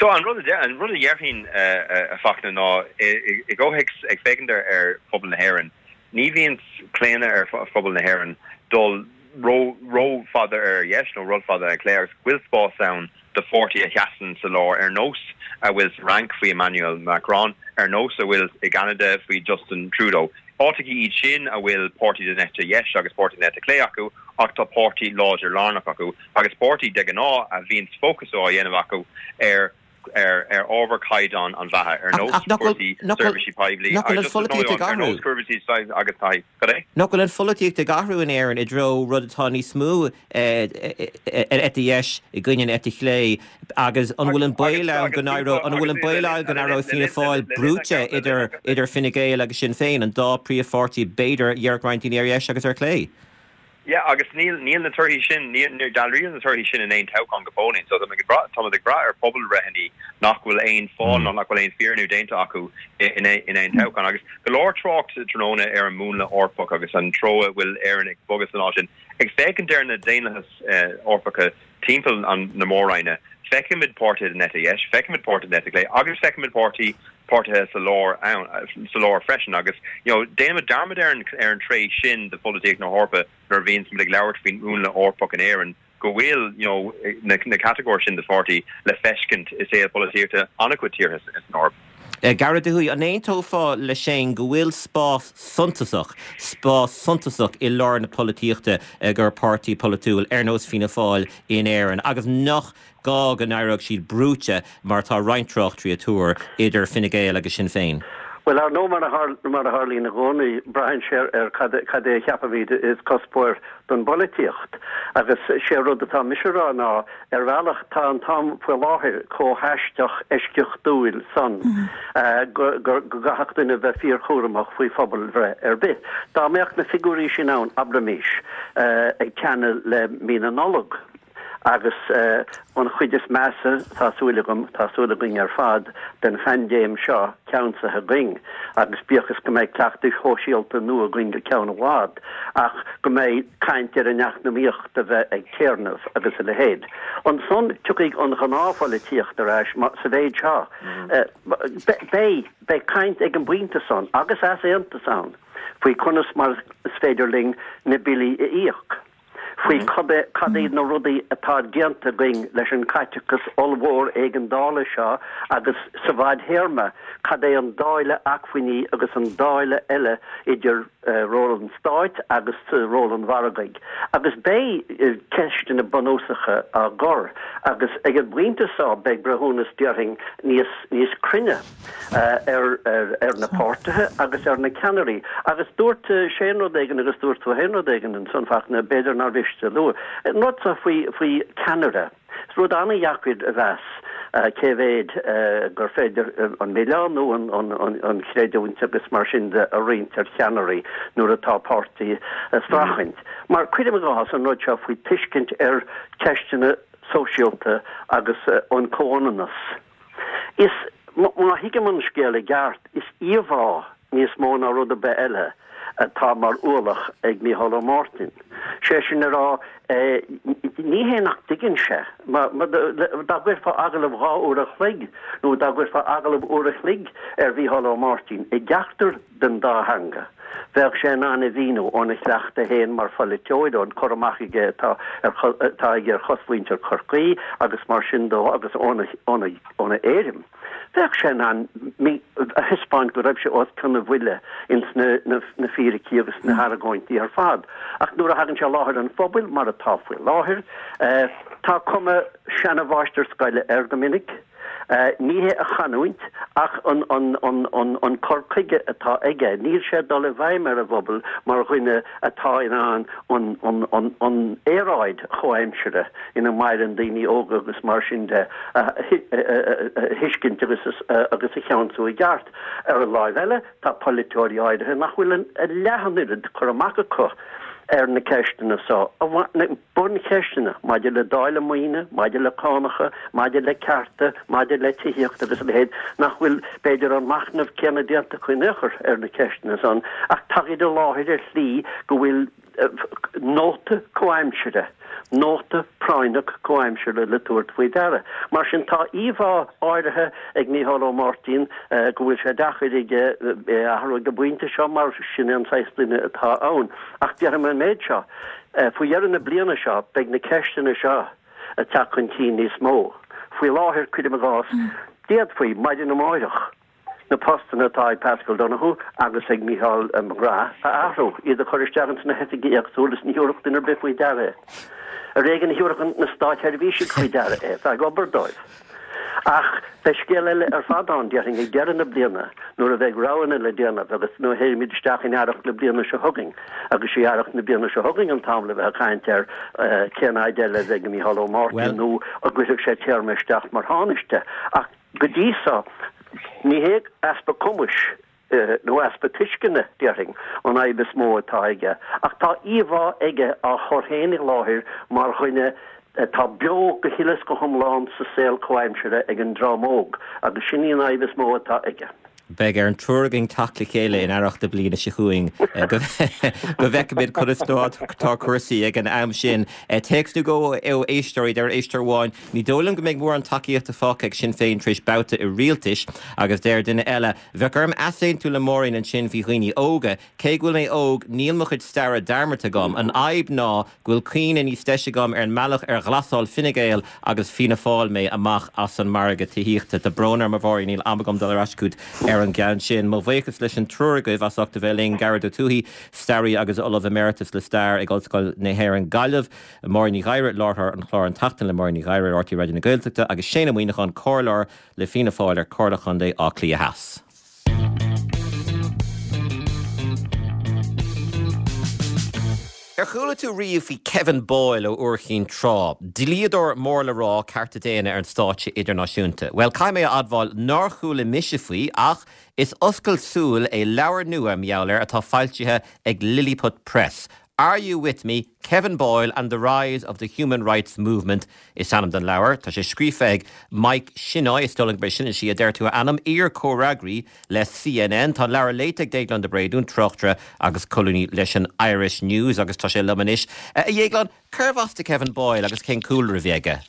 So an rud a an rud a dhéarfainn a Fachtna ná i gcomhthéacs ag féachaint ar phobal na hÉireann, ní bhíonn claonadh ar phobal na hÉireann dul ró rófhada ar dheis nó rófhada ar chlé agus go bhfuil spás ann do pháirtí a sheasann sa lár ar nós a bhfuil sa Fhrainc faoi Emmanuel Macron, ar nós a bhfuil i gCeanada faoi Justin Trudeau. Áiteachaí iad sin a bhfuil páirtí den eite dheis agus páirtí den eite chlé acu ach tá páirtí láidir lárnach acu agus páirtí de ghnáth a bhíonns fócas á dhéanamh acu ar ar ar ábhar caighdeán an bheatha, ar nós cúrsaí seirbhísí poiblí Nach bhfuil an pholaitíocht ag athrú? ar nós seirbhísí agus taithí. Cad é? Nach bhfuil an pholaitíocht ag athrú in Éirinn i dtreo rud atá níos mó ar eite dheis i gcoinne an eite chlé agus an bhfuil an baol ann go n-éireoidh an bhfuil an baol ann go n-éireoidh Fianna Fáil brúite idir idir Fine Gael agus Sinn Féin, an dá príomhpháirtí b'fhéidir a dhéarfadh roinnt daoine ar dheis agus ar chlé? Yeah, agus níl, níl na torthaí sin, níor, níor dealraíodh na torthaí sin in aon toghchán go fóillín. So táimid ag brath, táimid ag brath ar phobalbhreitheanna nach bhfuil aon fáil ná nach bhfuil aon fírinniú déanta acu in, in aon toghchán. Agus go leor trácht tráthnóna ar an múnla Eorpach agus an treo a bhfuil Éirinn ag bogadh san áit sin. Ag féachaint ar na daonlathais Eorpacha timpeall an, na mór-roinne, feicimid páirtithe den eite dheis, feicimid páirtithe den eite chlé agus feicimid páirtí, páirtithe sa lár ann, sa lár freisin agus you know déanaimid dearmad ar an ar an tréith sin de pholaitíocht na hEorpa nuair a bhíonns muid ag labhairt faoin múnla Eorpach in Éirinn go bhfuil you know na na catagóir sin de pháirtí le feiscint i saol polaitíochta an-chuid tíortha san Eoraip. Gearóid Ó hUaidh, an aontófá le Shane go bhfuil spás suntasach, spás suntasach i lár na polaitíochta i gcomhair páirtí polaitiúil ar nós Fianna Fáil in Éirinn agus nach gá go n-éireodh siad brúite, mar atá roinnt tráchtairí ag tuar, idir Fine Gael agus Sinn Féin? Bhuel, ar ndóigh, mar a tharlaíonn i gcónaí, braitheann sé ar cad é a cheapaimid is cuspóir don bpolaitíocht. Agus sé rud atá mise a rá ná, ar bhealach, tá an t-am faoi láthair chomh haisteach eisceachtúil san go gcaithfeadh duine bheith fíorchúramach faoi phobalbhreith ar bith. Dá mbeadh na figiúirí sin ann, abraimis, ag teannadh le mí na Nollag, Agus an chuid is measa, tá súil agam, tá súil againn ar fad, den phaindéim seo ceansaithe againn, agus bíodh is go mbeidh cleachtais shóisialta nua againn go ceann i bhfad, ach go mbeidh caint ar an eacnamaíocht a bheith ag téarnamh agus a leithéid. Ansan tiocfaidh an ghnáthpholaitíocht ar ais sa mhéid seo. Beidh, beidh caint ag an bpointe san, agus easaontas ann, faoi conas mar is féidir linn na billí a íoc. Faoi cad iad na rudaí atá déanta againn leis an caiteachas ollmhór éigeandála seo agus sa bhfadthéarma cad é an dáileadh acmhainní agus an dáileadh eile idir ról an stáit agus ról an mhargaidh. Agus beidh ceisteanna bunúsacha á gcur agus ag an bpointe seo beidh breithiúnas déarfainn níos níos cruinne ar ar na páirtithe agus ar na ceannairí. Agus dúirt Shane rud éigin agus dúirt tú féin rud éigin ansan Fachtna, b'fhéidir nár mhiste a lua. An rud seo faoi faoi ceannaire. Is rud an-dheacair a mheas cé mhéid gur féidir an milleán nó an chreidiúint agus mar sin de a roinnt ar cheannairí nuair atá páirtí ag streachailt. Mar cuirim i gcás an rud seo faoi tuiscint ar cheisteanna sóisialta agus an comhionannas. Is, má thuigim an scéal i gceart, is íomhá níos mó ná rud ar bith eile atá mar ualach ag Mícheál Ó Máirtín. Sé sin a rá, ní hé nach dtuigeann sé. Dá gcuirfeá agallamh 2 uair a chloig nó dá gcuirfeá agallamh uair a chloig ar Mhícheál Ó Máirtín i gceachtar den dá theanga, bheadh sé in ann a mhíniú óna chleachtadh féin mar pholaiteoir, ón cur amach aige atá atá aige ar chosmhuintir Chorcaí agus mar sin dó agus óna óna éirim. Bheadh sé in ann a thaispeáint go raibh sé os cionn a bhuille ins na na fíricí agus na hargóintí ar fad. Ach nuair a thagann sé i láthair an phobail, mar atá faoi láthair, tá cuma seana-mháistir scoile air go minic. Ní hé a chanúint ach an cur chuige atá aige. Níl sé ag dul i bhfeidhm ar an bpobal mar dhuine atá in ann an aeráid chomhaimseartha ina maireann daoine óga agus mar sin de a thuiscint agus a cheansú i gceart. Ar an láimh eile, tá polaiteoirí áirithe nach bhfuil a leath an oiread cur amach acu ar na ceisteanna seo, na buncheisteanna maidir le dáileadh maoine, maidir le cánacha, maidir le cearta, maidir le tithíocht agus a leithéid, nach bhfuil, b'fhéidir, an machnamh céanna déanta acu in aon chor ar na ceisteanna san, ach tagaid i láthair ar shlí go bhfuil nóta comhaimsire, nóta práinneach comhaimsire le tabhairt faoi deara. Mar sin, tá íomhá áirithe ag Mícheál Ó Máirtín go bhfuil sé deacair aige é a athrú ag an bpointe seo mar sin é an saghas duine atá ann. Ach déarfaidh mé an méid seo, faoi dheireadh na bliana seo beidh na ceisteanna seo ag teacht chun cinn níos mó. Faoi láthair, cuirim i gcás, d'fhéadfaí, maidin amáireach, na postanna atá ag Paschal Donohoe agus ag Micheál McGrath a athrú, iad a chur isteach ins na hoifigí éagsúla is ní thabharfadh duine ar bith faoi deara é. Ar éigean a thabharfadh na státseirbhísigh faoi deara é, atá ag obair dóibh. Ach beidh scéal eile ar fad ann, déarfainn, ag deireadh na bliana nuair a bheidh roghanna le déanamh agus nuair a théimid isteach in earrach na bliana seo chugainn agus is í earrach na bliana seo chugainn an t-am le bheith ag caint ar cén fhaid eile a bheidh ag Micheál Ó Máirtín nó an gcuirfidh sé téarma isteach mar Thánaiste. Ach Go dtí so, ní hé easpa cumais nó easpa tuisceana, déarfainn, an fhadhb is mó atá aige, ach tá íomhá aige á chur féin i láthair mar dhuine atá beo go huile is go hiomlán sa saol comhaimseartha ag an dream óg, agus sin í an fhadhb is mó atá aige. Beidh ar an triúr againn teacht le chéile in earrach na bliana seo chugainn go bhfeicfimid conas atá cúrsaí ag an am sin. Téacs nó dhó ó éisteoirí, deir éisteoir amháin, Ní dóigh liom go mbeidh mórán tacaíochta fágtha ag Sinn Féin tar éis babhta i rialtais agus deir duine eile, Bheadh orm easaontú le Máirín ansin faoi dhaoine óga. Cé go bhfuil mé óg, níl mo chuid staire dearmadta agam. An fhadhb ná go bhfuil cuimhne níos deise agam ar an mbealach ar ghlasáil Fine Gael agus Fianna Fáil mé amach as an margadh tithíochta. Tá brón orm a Mháirín, níl am agam dul ar ais chugat ar an gceann sin. Mo bhuíochas leis an triúr agaibh as ucht a bheith linn, Gearóid Ó Tuathaigh, staraí agus Ollamh Emeritus le Stair ag Ollscoil na hÉireann Gaillimh, Máirín Ní Ghadhra, láithreoir an chláir An tSeachtain le Máirín Ní Ghadhra ar RTÉ Raidió na Gaeltachta agus Shane Ó Muíneacháin, Comhairleoir le Fianna Fáil ar Chomhairle Chontae Átha Cliath Theas. Ar chuala tú riamh faoi Kevin Boyle ó Iúr Chinn Trá? Dlíodóir mór le rá cearta daonna ar an stáitse idirnáisiúnta. Bhuel, caithfidh mé a admháil nár chuala mise faoi, ach is oscailt súl é leabhar nua mar gheall air atá foilsithe ag Lilliput Press. Are You With Me? Kevin Boyle and the Rise of the Human Rights Movement is ainm don leabhar. Tá sé scríofa ag Mike Shinnoy, is dóigh liom gurb é sin an tslí a deir tú a ainm, iar-chomhfhreagraí le CNN. Tá an leabhar léite ag Déaglán de Bréadún, tráchtaire agus colúnaí leis an Irish News agus tá sé liom anois. A Dhéagláin, cérbh as do Kevin Boyle agus cén cúlra a bhí aige?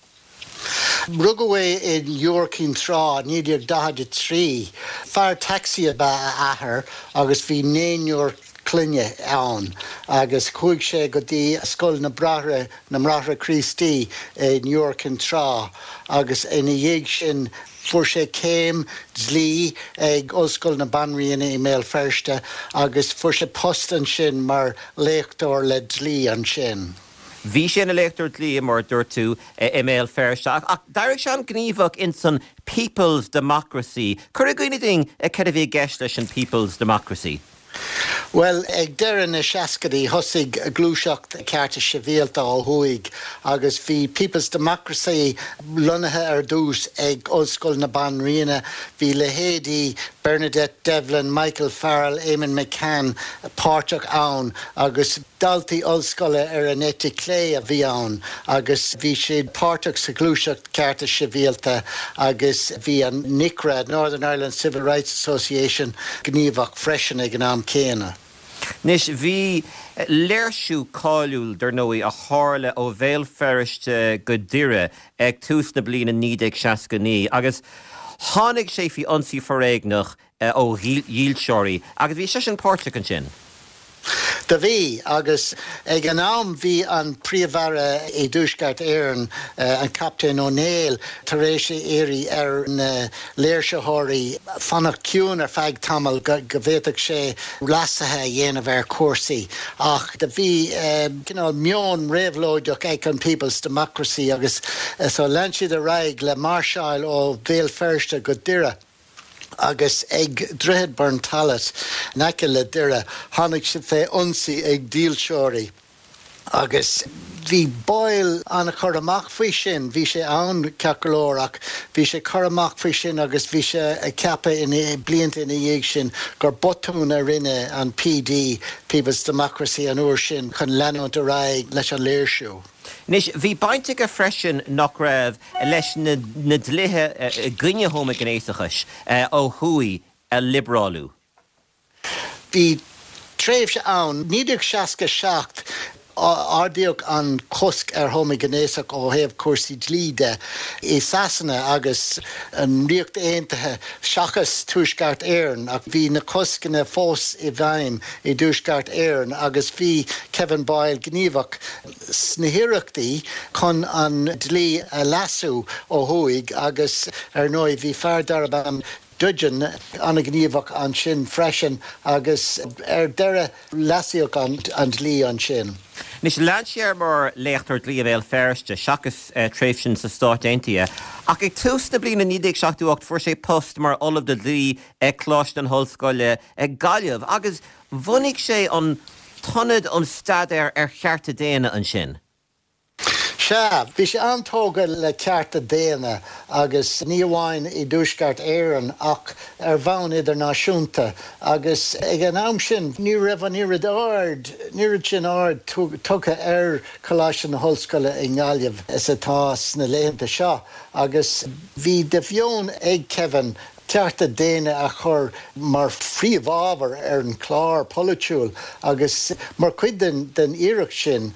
Rugadh é in Iúr Cinn Trá, 1943. Fear tacsaí ab ea a athair agus bhí naonúr. clainne ann agus chuaigh sé go dtí Scoil na Bráithre, na mBráithre Críostaí in Iúr Cinn Trá agus ina dhiaidh sin fuair sé céim dlí ag Ollscoil na Banríona i mBéal Feirste agus fuair sé post ansin mar léachtóir le dlí ansin. Bhí sé ina léachtóir dlí, mar a dúirt tú, i mBéal Feirste, ach d'éirigh sé an-ghníomhach ins an People's Democracy. Cuir i gcuimhne dúinn céard a bhí i gceist leis an People's Democracy. Bhuel, ag deireadh na seascaidí thosaigh gluaiseacht cearta sibhialta ó thuaidh agus bhí People's Democracy lonnaithe ar dtús ag Ollscoil na Banríona. Bhí leithéidí Bernadette Devlin, Michael Farrell, Eamonn McCann páirteach ann agus Daltaí ollscoile ar an eite chlé a bhí ann agus bhí siad páirteach sa ghluaiseacht cearta sibhialta agus bhí an NICRA, Northern Ireland Civil Rights Association, gníomhach freisin ag an am céanna. Anois, bhí léirsiú cáiliúil, dar ndóigh, a tharla ó Bhéal Feirste go Doire ag tús na bliana 1969 agus tháinig sé faoi ionsaí foréigneach ó dhílseoirí agus bhí seisean páirteach ansin. Do bhí, agus ag an am bhí an Príomh-Aire i dTuaisceart Éireann, an Captaen Ó Néill, tar éis a iarraidh ar na léirsitheoirí fanacht ciúin ar feadh tamaill go bhféadfadh sé leasuithe a dhéanamh ar chúrsaí. Ach do bhí cineál meon réabhlóideach ag an People's Democracy agus so lean siad ar aghaidh le máirseáil ó Bhéal Feirste go Doire. agus ag Droichead Burntollet in aice le Doire tháinig siad fé ionsaí ag dílseoirí agus bhí Boyle an-churtha amach faoi sin, bhí sé ann ceart go leor ach bhí sé curtha amach faoi sin agus bhí sé ag ceapadh ina blianta ina dhiaidh sin gur botún a rinne an PD, People's Democracy, an uair sin chun leanúint ar aghaidh leis an léirsiú. Anois, bhí baint aige freisin, nach raibh, leis na dlíthe i gcoinne homaighnéasachais ó thuaidh a liobrálú. Bhí tréimhse ann, 1967, ardaíodh an cosc ar homaighnéasach ó thaobh cúrsaí dlí de i Sasana agus an Ríocht Aontaithe seachas Tuaisceart Éireann ach bhí na coscanna fós i bhfeidhm i dTuaisceart Éireann agus bhí Kevin Boyle gníomhach sna hiarrachtaí chun an dlí a leasú ó thuaidh agus ar ndóigh bhí fear darb ainm Dudgeon an-ghníomhach ansin freisin agus ar deireadh leasaíodh an dlí ansin. Anois, lean sé air mar léachtóir dlí i mBéal Feirste, seachas tréimhse sna Stáit Aontaithe, ach ag tús na bliana 1978 fuair sé post mar Ollamh le Dlí ag Coláiste na hOllscoile, Gaillimh, agus bhunaigh sé an tIonad um Staidéar ar Chearta Daonna ansin. Sea, bhí sé an-tógtha le cearta daonna agus ní amháin i dTuaisceart Éireann ach ar bhonn idirnáisiúnta agus ag an am sin ní raibh an oiread aird, an oiread sin aird tugtha ar Choláiste na hOllscoile i nGaillimh is atá sna laethanta seo agus bhí de mheon ag Kevin cearta daonna a chur mar phríomhábhar ar an chlár polaitiúil agus mar chuid den iarracht sin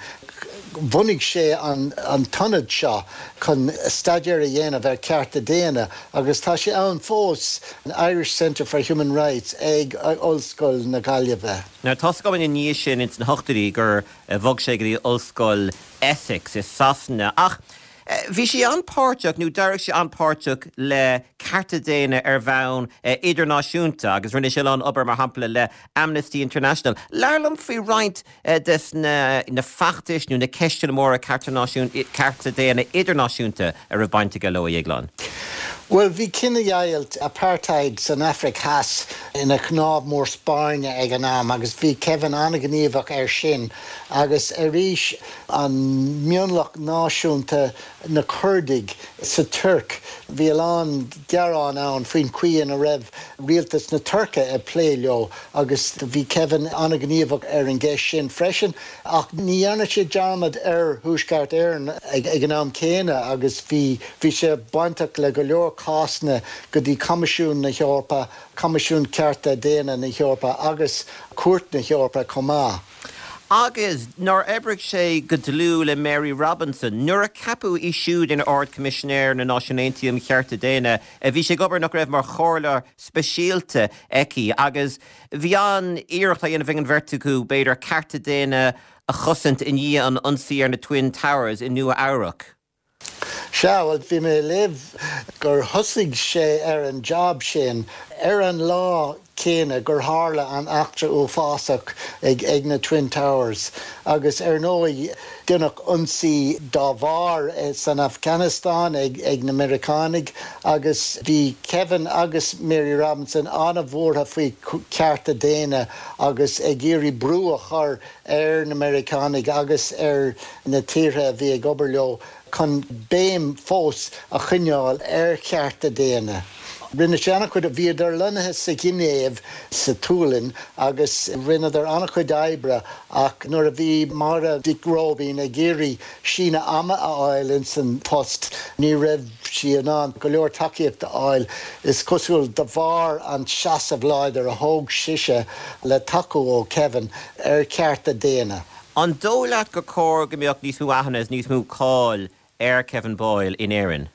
bhunaigh sé an t-ionad seo chun staidéar a dhéanamh ar chearta daonna agus tá sé ann fós, an Irish Centre for Human Rights ag Ollscoil na Gaillimhe. Now tá's agam ina dhiaidh sin ins na hochtóidí gur bhog sé go dtí Ollscoil Essex i Sasana ach Bhí sé an-páirteach, nó d'éirigh sé an-páirteach le cearta daonna ar bhonn idirnáisiúnta agus rinne sé a lán obair, mar shampla, le Amnesty International. Labhair liom faoi roinnt des na feachtais nó na ceisteanna móra cearta daonna idirnáisiúnta a raibh baint aige leo, a Dhéagláin. Bhuel, bhí cinedheighilt, apartheid, san Afraic Theas ina chnámh mór spairne ag an am agus bhí Kevin an-ghníomhach air sin agus arís, an mionlach náisiúnta, na Coirdigh, sa Tuirc. Bhí a lán gearán ann faoin chaoi ina raibh rialtas na Tuirce ag plé leo agus bhí Kevin an-ghníomhach ar an gceist sin freisin. Ach ní dhearna sé dearmad ar Thuaisceart Éireann ag an am céanna agus bhí bhí sé bainteach le go leor cásanna go dtí Coimisiún na hEorpa, Coimisiún Cearta Daonna na hEorpa agus Cúirt na hEorpa chomh maith. Agus nár oibrigh sé go dlúth le Mary Robinson nuair a ceapadh í siúd ina Ard-Choimisinéir na Náisiún Aontaithe um Chearta Daonna? Bhí sé ag obair, nach raibh, mar chomhairleoir speisialta aici agus bhí an-iarracht á dhéanamh ag an bheirt acu, b'fhéidir, cearta daonna a chosaint i ndiaidh an ionsaí ar na Twin Towers i Nua Eabhrac. Sea, bhuel, bhí mé ag léamh gur thosaigh sé ar an jab sin ar an lá céanna gur tharla an eachtra uafásach ag na Twin Towers agus ar ndóigh deineadh ionsaí dá bharr san Afganastáin ag na Meiriceánaigh agus bhí Kevin agus Mary Robinson an-bhuartha faoi chearta daonna agus ag iarraidh brú a chur ar na Meiriceánaigh agus ar na tíortha a bhí ag obair leo chun béim fós a choinneáil ar chearta daonna. Rinne sé an-chuid, bhíodar lonnaithe sa Ghinéiv sa tSualainn agus rinneadar an-chuid oibre ach nuair a bhí Máire Mhic Róibín ag iarraidh síneadh ama a fháil ins an post ní raibh sí in ann go leor tacaíocht a fháil, is cosúil, de bharr an seasamh láidir a thóg sise le tacú ó Kevin ar chearta daonna. An dóigh leat gur cóir go mbeadh níos mó aithne is níos mó cáil ar Kevin Boyle in Éirinn?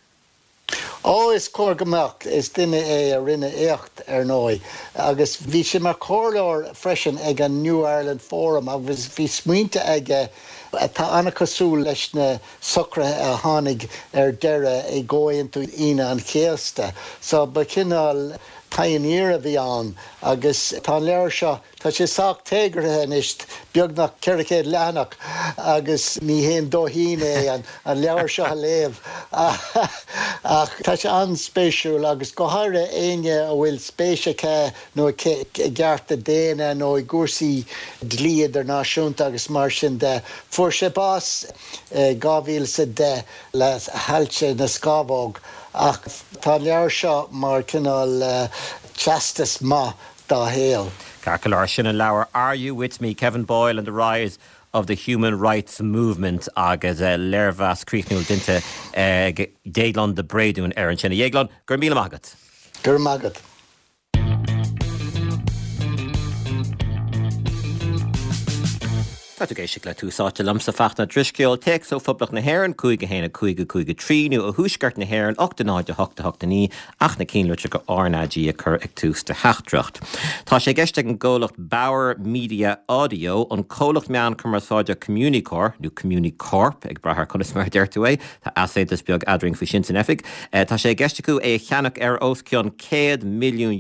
Ó, is cóir go mbeadh. Is duine é a rinne éacht, ar ndóigh. Agus bhí sé mar chomhairleoir freisin ag an New Ireland Forum agus bhí smaointe aige atá an-chosúil leis na socruithe a tháinig ar deireadh i gComhaontú Aoine an Chéasta. So ba chineál pioneer a bhí ann agus tá an leabhar seo Tá sé sách téagartha anois, beagnach 400 leathanach, agus ní haon dóithín é an leabhar seo a léamh ach tá sé an-spéisiúil agus go háirithe éinne a bhfuil spéis aici nó aici i gcearta daonna nó i gcúrsaí dlí idirnáisiúnta agus mar sin de. Fuair sé bás i 2010 le hailse na scamhóg ach tá an leabhar seo mar chineál teastas maith dá shaol. Ceart go leor, sin an leabhar Are You With Me? Kevin Boyle and the Rise of the Human Rights Movement agus léirmheas críochnúil déanta ag Déaglán de Bréadún air ansin. A Dhéagláin, go raibh míle maith agat. Go raibh maith agat. Tá tú ag éisteacht le Tús Áite liomsa, Fachtna Drisceoil, téacs ó Phoblacht na hÉireann, 5 1 5 5 3, nó ó Thuaisceart na hÉireann, 8 0 8 8 9, ach na cinnlitreacha RnaG a chur ag tús do theachtaireacht. Tá sé i gceist ag an gcomhlacht Bauer Media Audio, an comhlacht meán cumarsáide Communicorp, nó Communicorp, ag brath ar conas mar a deir tú é, tá easaontas beag eadrainn faoi sin san oifig, tá sé i gceist acu é a cheannach ar os cionn €100 milliún.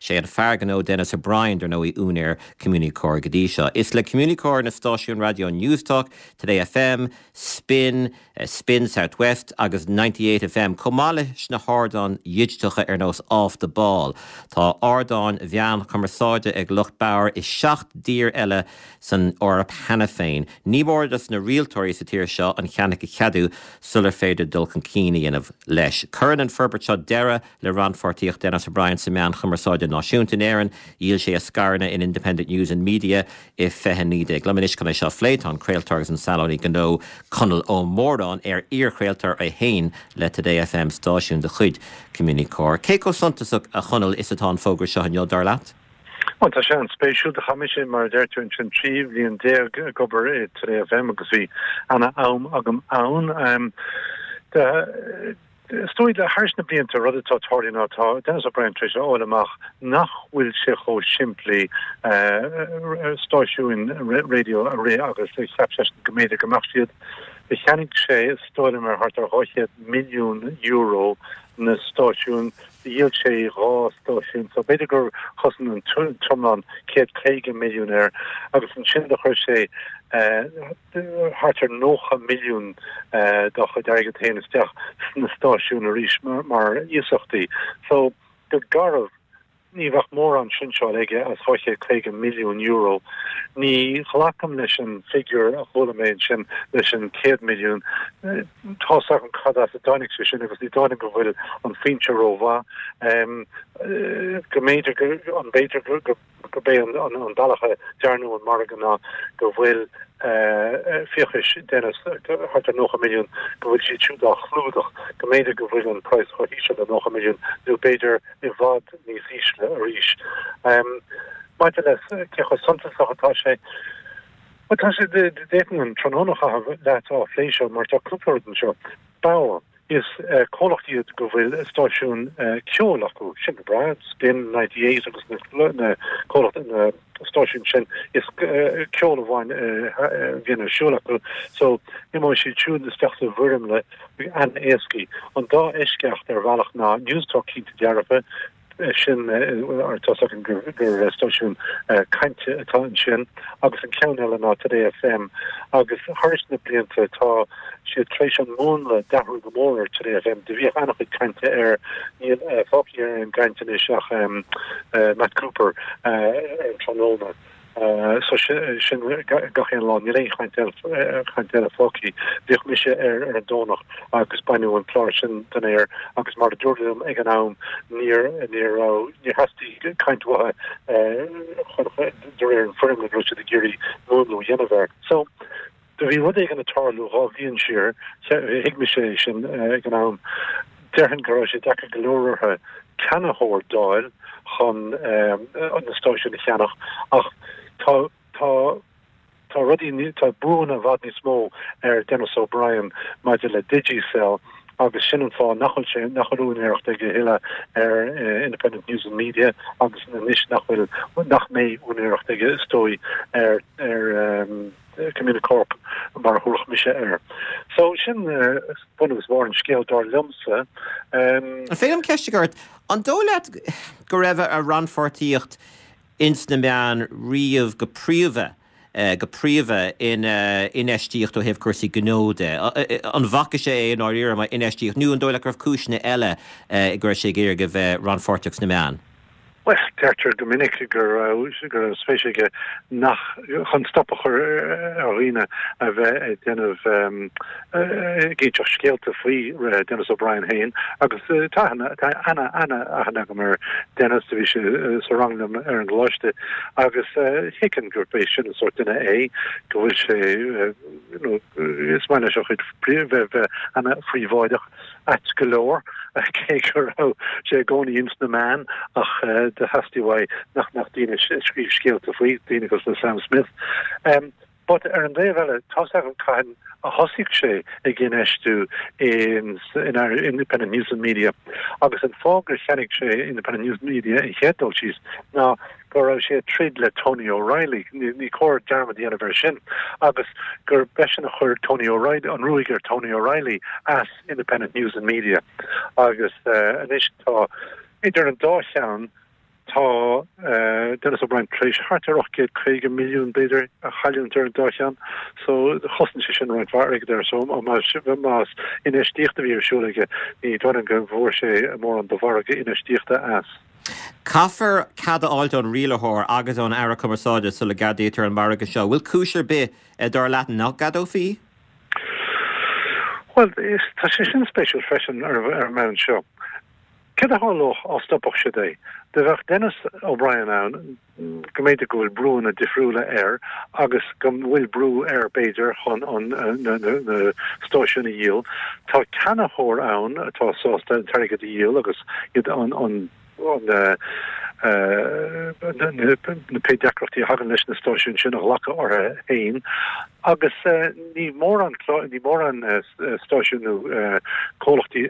Sé an fear gnó Denis O'Brien, dar ndóigh, úinéir Communicorp go dtí seo. Is le Communicorp na stáisiúin raidió Newstalk, Today FM, Spin, Spin South West agus 98 FM, chomh maith leis na hardáin dhigiteacha ar nós Off The Ball. Tá ardáin mheán chumarsáide ag lucht Bauer i 7 dtír eile san Eoraip cheana féin. Ní mór dos na rialtóirí sa tír seo an ceannach a cheadú sular féidir dul chun cinn a dhéanamh leis. Cuireann an forbairt seo deireadh le rannpháirtíocht Denis O'Brien sa meán chumarsáide náisiúnta in Éirinn. Dhíol sé a scaireanna in Independent News and Media i 2019. Liom anois chun é seo a phlé tá an craoltóir agus an saineolaí gnó Conall Ó Móráin, ar iarchraoltóir é féin le Today FM, stáisiún de chuid Communicorp. Cé chomh suntasach, a Chonaill, is atá an fógra seo inniu, dar leat? Bhuel, tá sé an-spéisiúil. Do chaith mise, mar a deir tú ansin, 13 bhliain ag obair i Today FM agus bhí ana-am agam ann. Is dóigh le thairis na blianta, rud atá tarlaithe ná tá Denis O'Brien tar éis a fháil amach nach bhfuil sé chomh simplí stáisiúin raidió a rith agus a cheap seisean go mb'fhéidir go mbeadh siad. Do cheannaigh sé, is dóigh liom, ar thart ar €200 milliún na stáisiúin, do dhíol sé dhá stáisiún, so b'fhéidir gur chosain an t-iomlán 150 milliún air agus ansin do chuir sé thart ar 90 milliún dá chuid airgid féin isteach sna stáisiúin arís mar iasachtaí. So, go garbh, ní bheadh mórán sinseáil aige as €250 milliún. Ní ghlacaim leis an figiúr a chuala mé ansin leis an 100 milliún. Tá's agam cad as a dtáinig sé sin agus ní dóigh liom go bhfuil an foinse rómhaith. Go mb'fhéidir go, an b'fhéidir go, gurb é an bealach a dearnadh an margadh ná go bhfuil fiachais Dennis, thart ar 90 milliún, go bhfuil siad siúd á chlúdach, go mb'fhéidir go bhfuil an praghas chomh híseal le 90 milliún nó b'fhéidir i bhfad níos ísle arís. Maidir le cé chomh suntasach atá sé, bhuel. Bhuel, tá sé, d'fhéadfainn an tráthnóna a chaitheamh leat á phlé seo mar tá cúpla rud anseo. Bauer, is comhlacht iad go bhfuil stáisiún ceoil acu, sin go breá, Spin 98 agus na comhlacht, na stáisiúin sin, is ceol amháin a bhíonn ar siúl acu. So, imeoidh siad siúd isteach sa bhfoirmle an-éascaí. An dá eisceacht ar bhealach ná Newstalk cinnte dearfa, sin tá's againn gur stáisiún cainte atá ansin agus an ceann eile ná Today FM agus thar na blianta tá siad tar éis an múnla d'athrú go mór ar Today FM. Do bhíodh an-chuid cainte air, níl fágtha ar an gcaint anois ach Matt Cooper ar an tráthnóna. So sin gach aon lá, níl aon chaint eile, chaint eile fágtha. Bhíodh mise air ar an Domhnach agus baineadh an clár sin den aer agus mar a dúradh liom ag an am níor, níor raibh, níor theastaigh caint uathu chun, de réir an foirmle go raibh siad ag iarraidh múnlú a dhéanamh air. So do bhí rud éigin ag tarlú 2 bhliain siar, thuig mise é sin ag an am, déarfainn go raibh sé deacair go leor orthu ceannaitheoir d'fháil chun na stáisiúin a cheannach ach tá, tá, tá rudaí, tá brúanna i bhfad níos mó ar Denis O'Brien maidir le Digicel agus sin an fáth nach bhfuil sé, nach bhfuil úinéireacht aige a thuilleadh ar Independent News and Media agus anois nach bhfuil, nach mbeidh úinéireacht aige is dóigh ar, ar. Communicorp mar a thabharfadh mise air. So sin bun agus barr an scéil dar liomsa. An féidir liom ceist a chur ort? An dóigh leat go raibh a rannpháirtíocht ins na meáin riamh go príomha, go príomha ina infheistíocht ó thaobh cúrsaí gnó de? An bhfaca sé é i ndáiríre mar infheistíocht nó an dóigh leat go raibh cúiseanna eile go raibh sé ag iarraidh a bheith rannpháirteach sna meáin? Bhuel, deirtear go minic go raibh, go raibh spéis aige nach, chun stop a chur ar dhaoine a bheith ag déanamh, ag inseacht scéalta faoi Denis O'Brien féin agus tá aithne, tá ana, ana-aithne agam ar Denis, do bhí sé sa rang liom ar an gcoláiste agus thuigfinn gurb é sin an sórt duine é, go bhfuil sé, you know, is maith leis a chuid, bheith, bheith ana-phríobháideach. Ait go leor, cé go raibh sé i gcónaí ins na meáin, ach do theastaigh uaidh nach mbeadh daoine ag scríobh scéalta faoi, daoine cosúil le Sam Smith. But ar an dtaobh eile, tá's agam cathain a thosaigh sé ag infheistiú in Independent News and Media agus an fáth gur cheannaigh sé Independent News Media an chéad dul síos ná go raibh sé ag troid le Tony O'Reilly, ní cóir dearmad a dhéanamh air sin, agus gurb eisean a chuir Tony O'Reilly, an ruaig ar Tony O'Reilly as Independent News and Media. Agus anois tá, idir an dá cheann, tá Denis O'Brien tar éis thart ar 850 milliún, b'fhéidir, a chailliúint ar an dá cheann. So chosain sé sin roinnt mhaith airgid air. So más infheistíocht a bhí ar siúl aige, ní dóigh liom go bhfuair sé mórán de mhargadh infheistíochta as. Caithfear cead a fháilt ón rialaitheoir agus ón Aire Cumarsáide sula gceadaítear an margadh seo. Bhfuil cúis ar bith, dar leat, nach gceadófaí? Bhuel, tá sé sin spéisiúil freisin ar an mbonn seo. Céard a tharlódh á stopfadh siad é? Do bheadh Denis O'Brien ann, go mb'fhéidir go bhfuil brúanna difriúla air agus go bhfuil brú air b'fhéidir chun an na stáisiúin a dhíol. Tá ceannaitheoir ann atá sásta an t-airgead a dhíol agus iad an an na na pé deacrachtaí a thagann leis na stáisiúin sin a ghlacadh orthu féin agus ní mórán ní mórán stáisiún nó comhlachtaí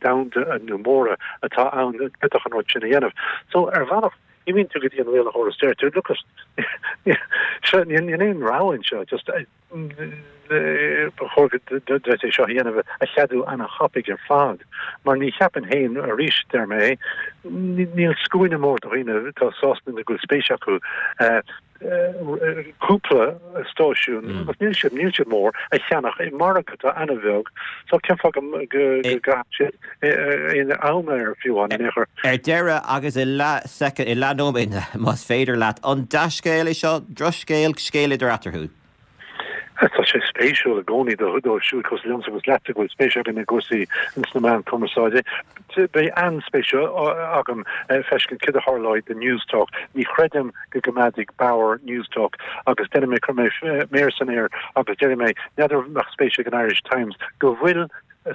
domhanda nó móra atá ann a d'fhéadfadh an rud sin a dhéanamh. So ar bhealach imíonn tú go dtí an rialaitheoir is deir tú, look, seo níl aon rogha anseo, just ba chóir duit é seo a dhéanamh a cheadú ana-thapaidh ar fad, mar ní cheapaim féin, arís deir mé, níl scuaine mór de dhaoine atá sásta nó go bhfuil spéis acu cúpla stáisiún, agus níl siad, níl siad mór, a cheannach i margadh atá ana-bheag, so cén fáth go gcaithfeadh siad aon am air fiú amháin in aon chor. Ar deireadh, agus i leath soicind, i leath nóiméad más féidir leat, an dea-scéal é seo, drochscéal, scéal idir eatarthu? Tá sé spéisiúil i gcónaí dóibh siúd cosúil liomsa agus leatsa go bhfuil spéis againn i gcúrsaí ins na meáin cumarsáide. Beidh an-spéis agam feiscint céard a tharlóidh do Newstalk. Ní chreidim go gcoimeádfaidh Bauer Newstalk agus déanfaidh mé, cuirfidh mé méar san aer agus déarfaidh mé, n'fheadar an mbeadh spéis ag an Irish Times go bhfuil.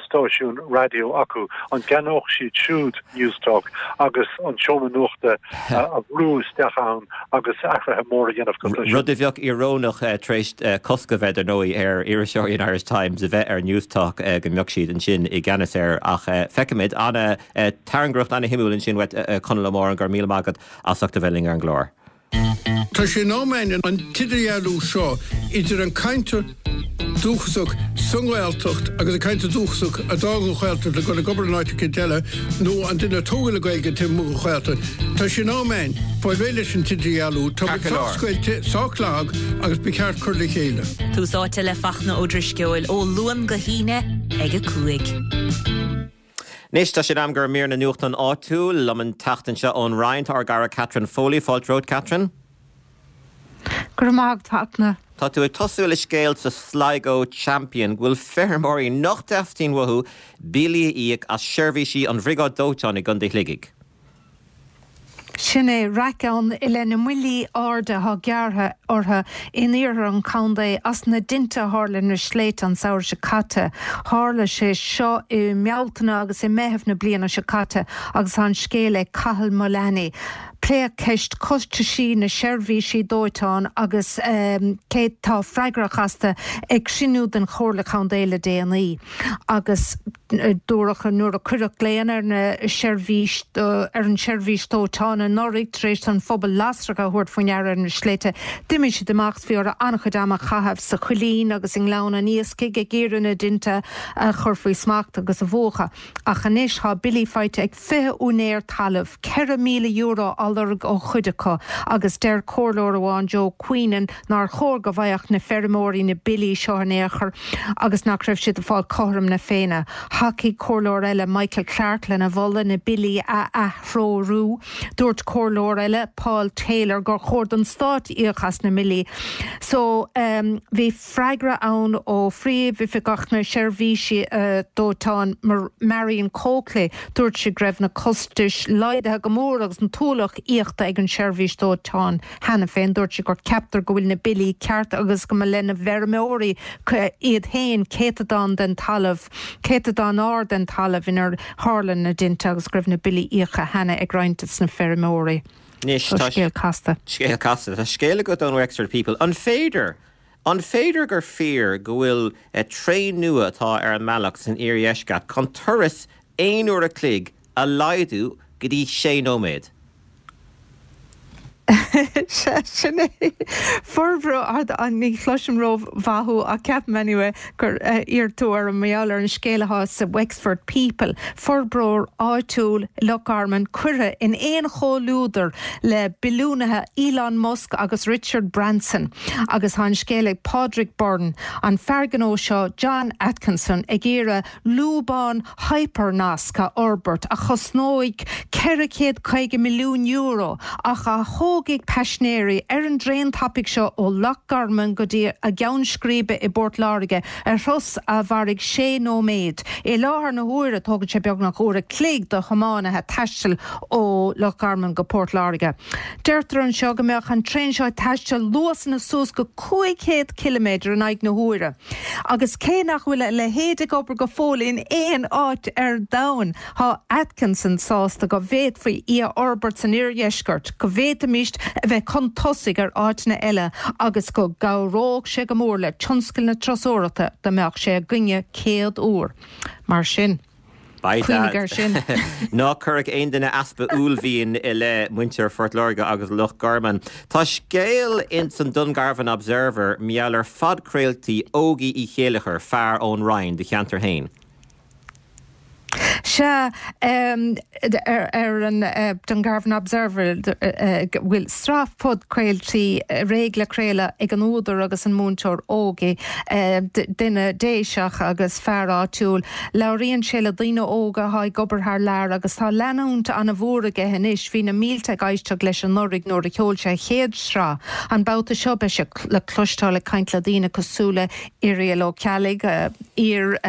stáisiún raidió acu, an gceannódh siad siúd Newstalk agus an seomra nuachta a bhrú isteach ann agus athruithe móra a dhéanamh cosúil leis sin? Rud a bheadh íorónach tar éis cosc a bheith, dar ndóigh, ar iriseoirí an Irish Times a bheith ar Newstalk go mbeadh siad ansin i gceannas air. Ach feicfimid. An-tairngreacht an-shuimiúil ansin uait, a Chonaill Ó Móráin, go raibh míle maith agat as ucht a bheith linn ar an gclár. Tá sé in am againn an t-idirdhealú seo idir an cainteoir dúchasach sa nGaeltacht agus an cainteoir dúchasach a d'fhág an Ghaeltacht le dul ag obair in áit eicínt eile nó an duine a tógadh le Gaeilge taobh amuigh den Ghaeltacht. Tá sé in am againn fáil réidh leis an t-idirdhealú. Tá muid sách scoilte, sách lag agus ba cheart cur le chéile. Tús Áite le Fachtna Ó Drisceoil ó Luan go hAoine ag 5. Anois, tá sé in am do mhír na nuachtán áitiúil. Liom an tseachtain seo ón Rinn, tá ár gcara Catherine Foley. Fáilte romhat, Catherine. Go raibh maith agat, Fachtna. Tá tú ag tosú le scéal sa Sligo Champion go bhfuil feirmeoirí nach dteastaíonn uathu billí a íoc as seirbhísí an Bhriogáid Dóiteáin i gContae Shligigh. Sin é, raic ann i leith na mbillí arda atá gearrtha orthu in iarthar an chontae as na dtinte a tharla ar na sléibhte an samhradh seo caite. Tharla sé seo i mBealtaine agus i Meitheamh na bliana seo caite agus tá an scéal ag Cathal Mullany. Pléadh ceist costaisí na seirbhísí dóiteáin agus cé tá freagrach astu ag cruinniú den Chomhairle Contae le déanaí agus Dúradh nuair a cuireadh glaonna ar na seirbhís ar an seirbhís dóiteáin anuraidh tar éis don phobal lasracha a thabhairt faoi ndeara ar na sléibhte, d'imigh siad amach is bhí orthu an-chuid ama a chaitheamh sa Choillín agus i nGleann an Iascaigh ag iarraidh na dtinte a chur faoi smacht agus a mhúchadh. Ach anois tá billí faighte ag 20 úinéir talaimh, €4,000 á lorg ó chuid acu agus deir comhairleoir amháin, Joe Queenan, nár chóir go bhfaigheadh na feirmeoirí na billí seo in aon chor. agus nach raibh siad ag fáil cothrom na Féinne. Thacaigh comhairleoir eile, Michael Clarke, lena mholadh na billí a aththreorú. Dúirt comhairleoir eile, Paul Taylor, gur chóir don stát íoc as na mbillí. So, bhí freagra ann ó Phríomhoifigeach na Seirbhísí Dóiteáin, Marion Coakley. Dúirt sí go raibh na costais laghdaithe go mór agus an t-ualach íochta ag an seirbhís dóiteáin. Cheana féin, dúirt sí gur ceaptar go bhfuil na billí ceart agus go mba le na bhfeirmeoirí iad féin céatadán den talamh, céatadán ard den talamh inar tharla na dtinte agus go raibh na billí íoctha cheana ag roinnt des na feirmeoirí. Anois, tá scéal casta. Scéal casta. Tá scéal agat ón Wexford People. An féidir, an féidir gur fíor go bhfuil traein nua atá ar an mbealach san iardheisceart chun turas aon uair a chloig a laghdú go dtí sé nóiméad? Sea, sin é. Forbróir, ní chloisim rómhaith thú ach ceapaim anyway gur iarr tú orm mar gheall ar an scéal atá sa Wexford People, forbróir áitiúil i Loch Garman curtha in aon chomhluadar le billiúnaithe Elon Musk agus Richard Branson agus tá an scéal ag Pádraig Byrne, an fear gnó seo John Atkinson ag iarraidh lúbán hyper-nasc a fhorbairt a chosnóidh €450 milliún ach a thógfaidh paisinéirí ar an dtraein tapaidh seo ó Loch Garman go dtí a gceann scríbe i bPort Láirge ar thuras a mhairfidh sé nóiméad. I láthair na huaire tógann sé beagnach uair a chloig do thiománaithe taisteal ó Loch Garman go Port Láirge. Deirtear anseo go mbeadh an traein seo ag taisteal luasanna suas go 500 ciliméadar in aghaidh na huaire. Agus cé nach bhfuil a leithéid ag obair go fóill in aon áit ar domhan, tá Atkinson sásta go bhféadfaí í a fhorbairt san iardheisceart, go bhféadfaimis a bheith chun tosaigh ar áiteanna eile agus go gcabhródh sé go mór le tionscal na turasóireachta dá mbeadh sé againne céad uair. Mar sin. Beidh Cuimhnigh air sin. Ná cuirfeadh aon duine easpa uaillmhian i leith muintir Phort Láirge agus Loch Garman. Tá scéal ins an Dungarvan Observer mar gheall ar phodchraoltaí Ógie Uí Chéilleachair, fear ón Rinn, do cheantar féin. Sea, ar an Dungarvan Observer go bhfuil sraith podchraoltaí réidh le craoladh ag an údar agus an múinteoir Ógie, duine Déiseach agus fear áitiúil. Labhraíonn sé le daoine óga atá ag obair thar lear agus tá leanúint an-mhór aige anois. Bhí na mílte ag éisteacht leis anuraidh nuair a sheol sé a chéad sraith. An babhta seo beidh sé le cloisteáil ag caint le daoine cosúil le Irial Ó Ceallaigh, iar.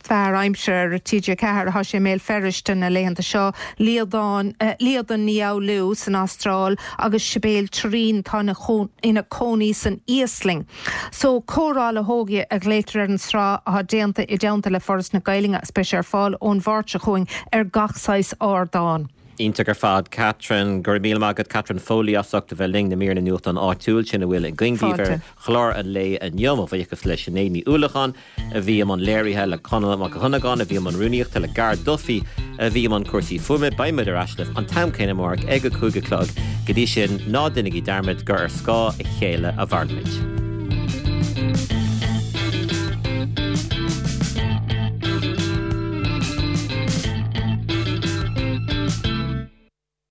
Fear aimsire ar TG4, thá sé i mBéal Feirste na laethanta seo, Líadan, Líadan Ní Fhoghlú san Astráil agus Sibéal Turraoin atá ina cónaí san Íoslainn. So, Comhrá le hÓige a ghlaotar ar an sraith athá déanta i dteannta le Foras na Gaelainne agus beidh sé ar fáil ón Mháirt seo chugainn ar gach saghas ardán. Iontach ar fad, Catherine. Go raibh míle maith agat, Catherine Foley, as ucht a bheith linn, na míreanna nuachtáin áitiúil sin a bhfuil againn daoibh ar chlár an lae inniu. Mo bhuíochas le Sinéad Ní Uallacháin a bhí i mbun léirithe, le Conall Mac Dhonnagáin a bhí i mbun rúnaíochta, le Gar Duffy a bhí i mbun cúrsaí fuaime. Beidh muid ar ais libh an t-am céanna amárach ag a 5 a chlog. Go dtí sin, ná déanaigí dearmad gur ar scáth a chéile a mhairimid.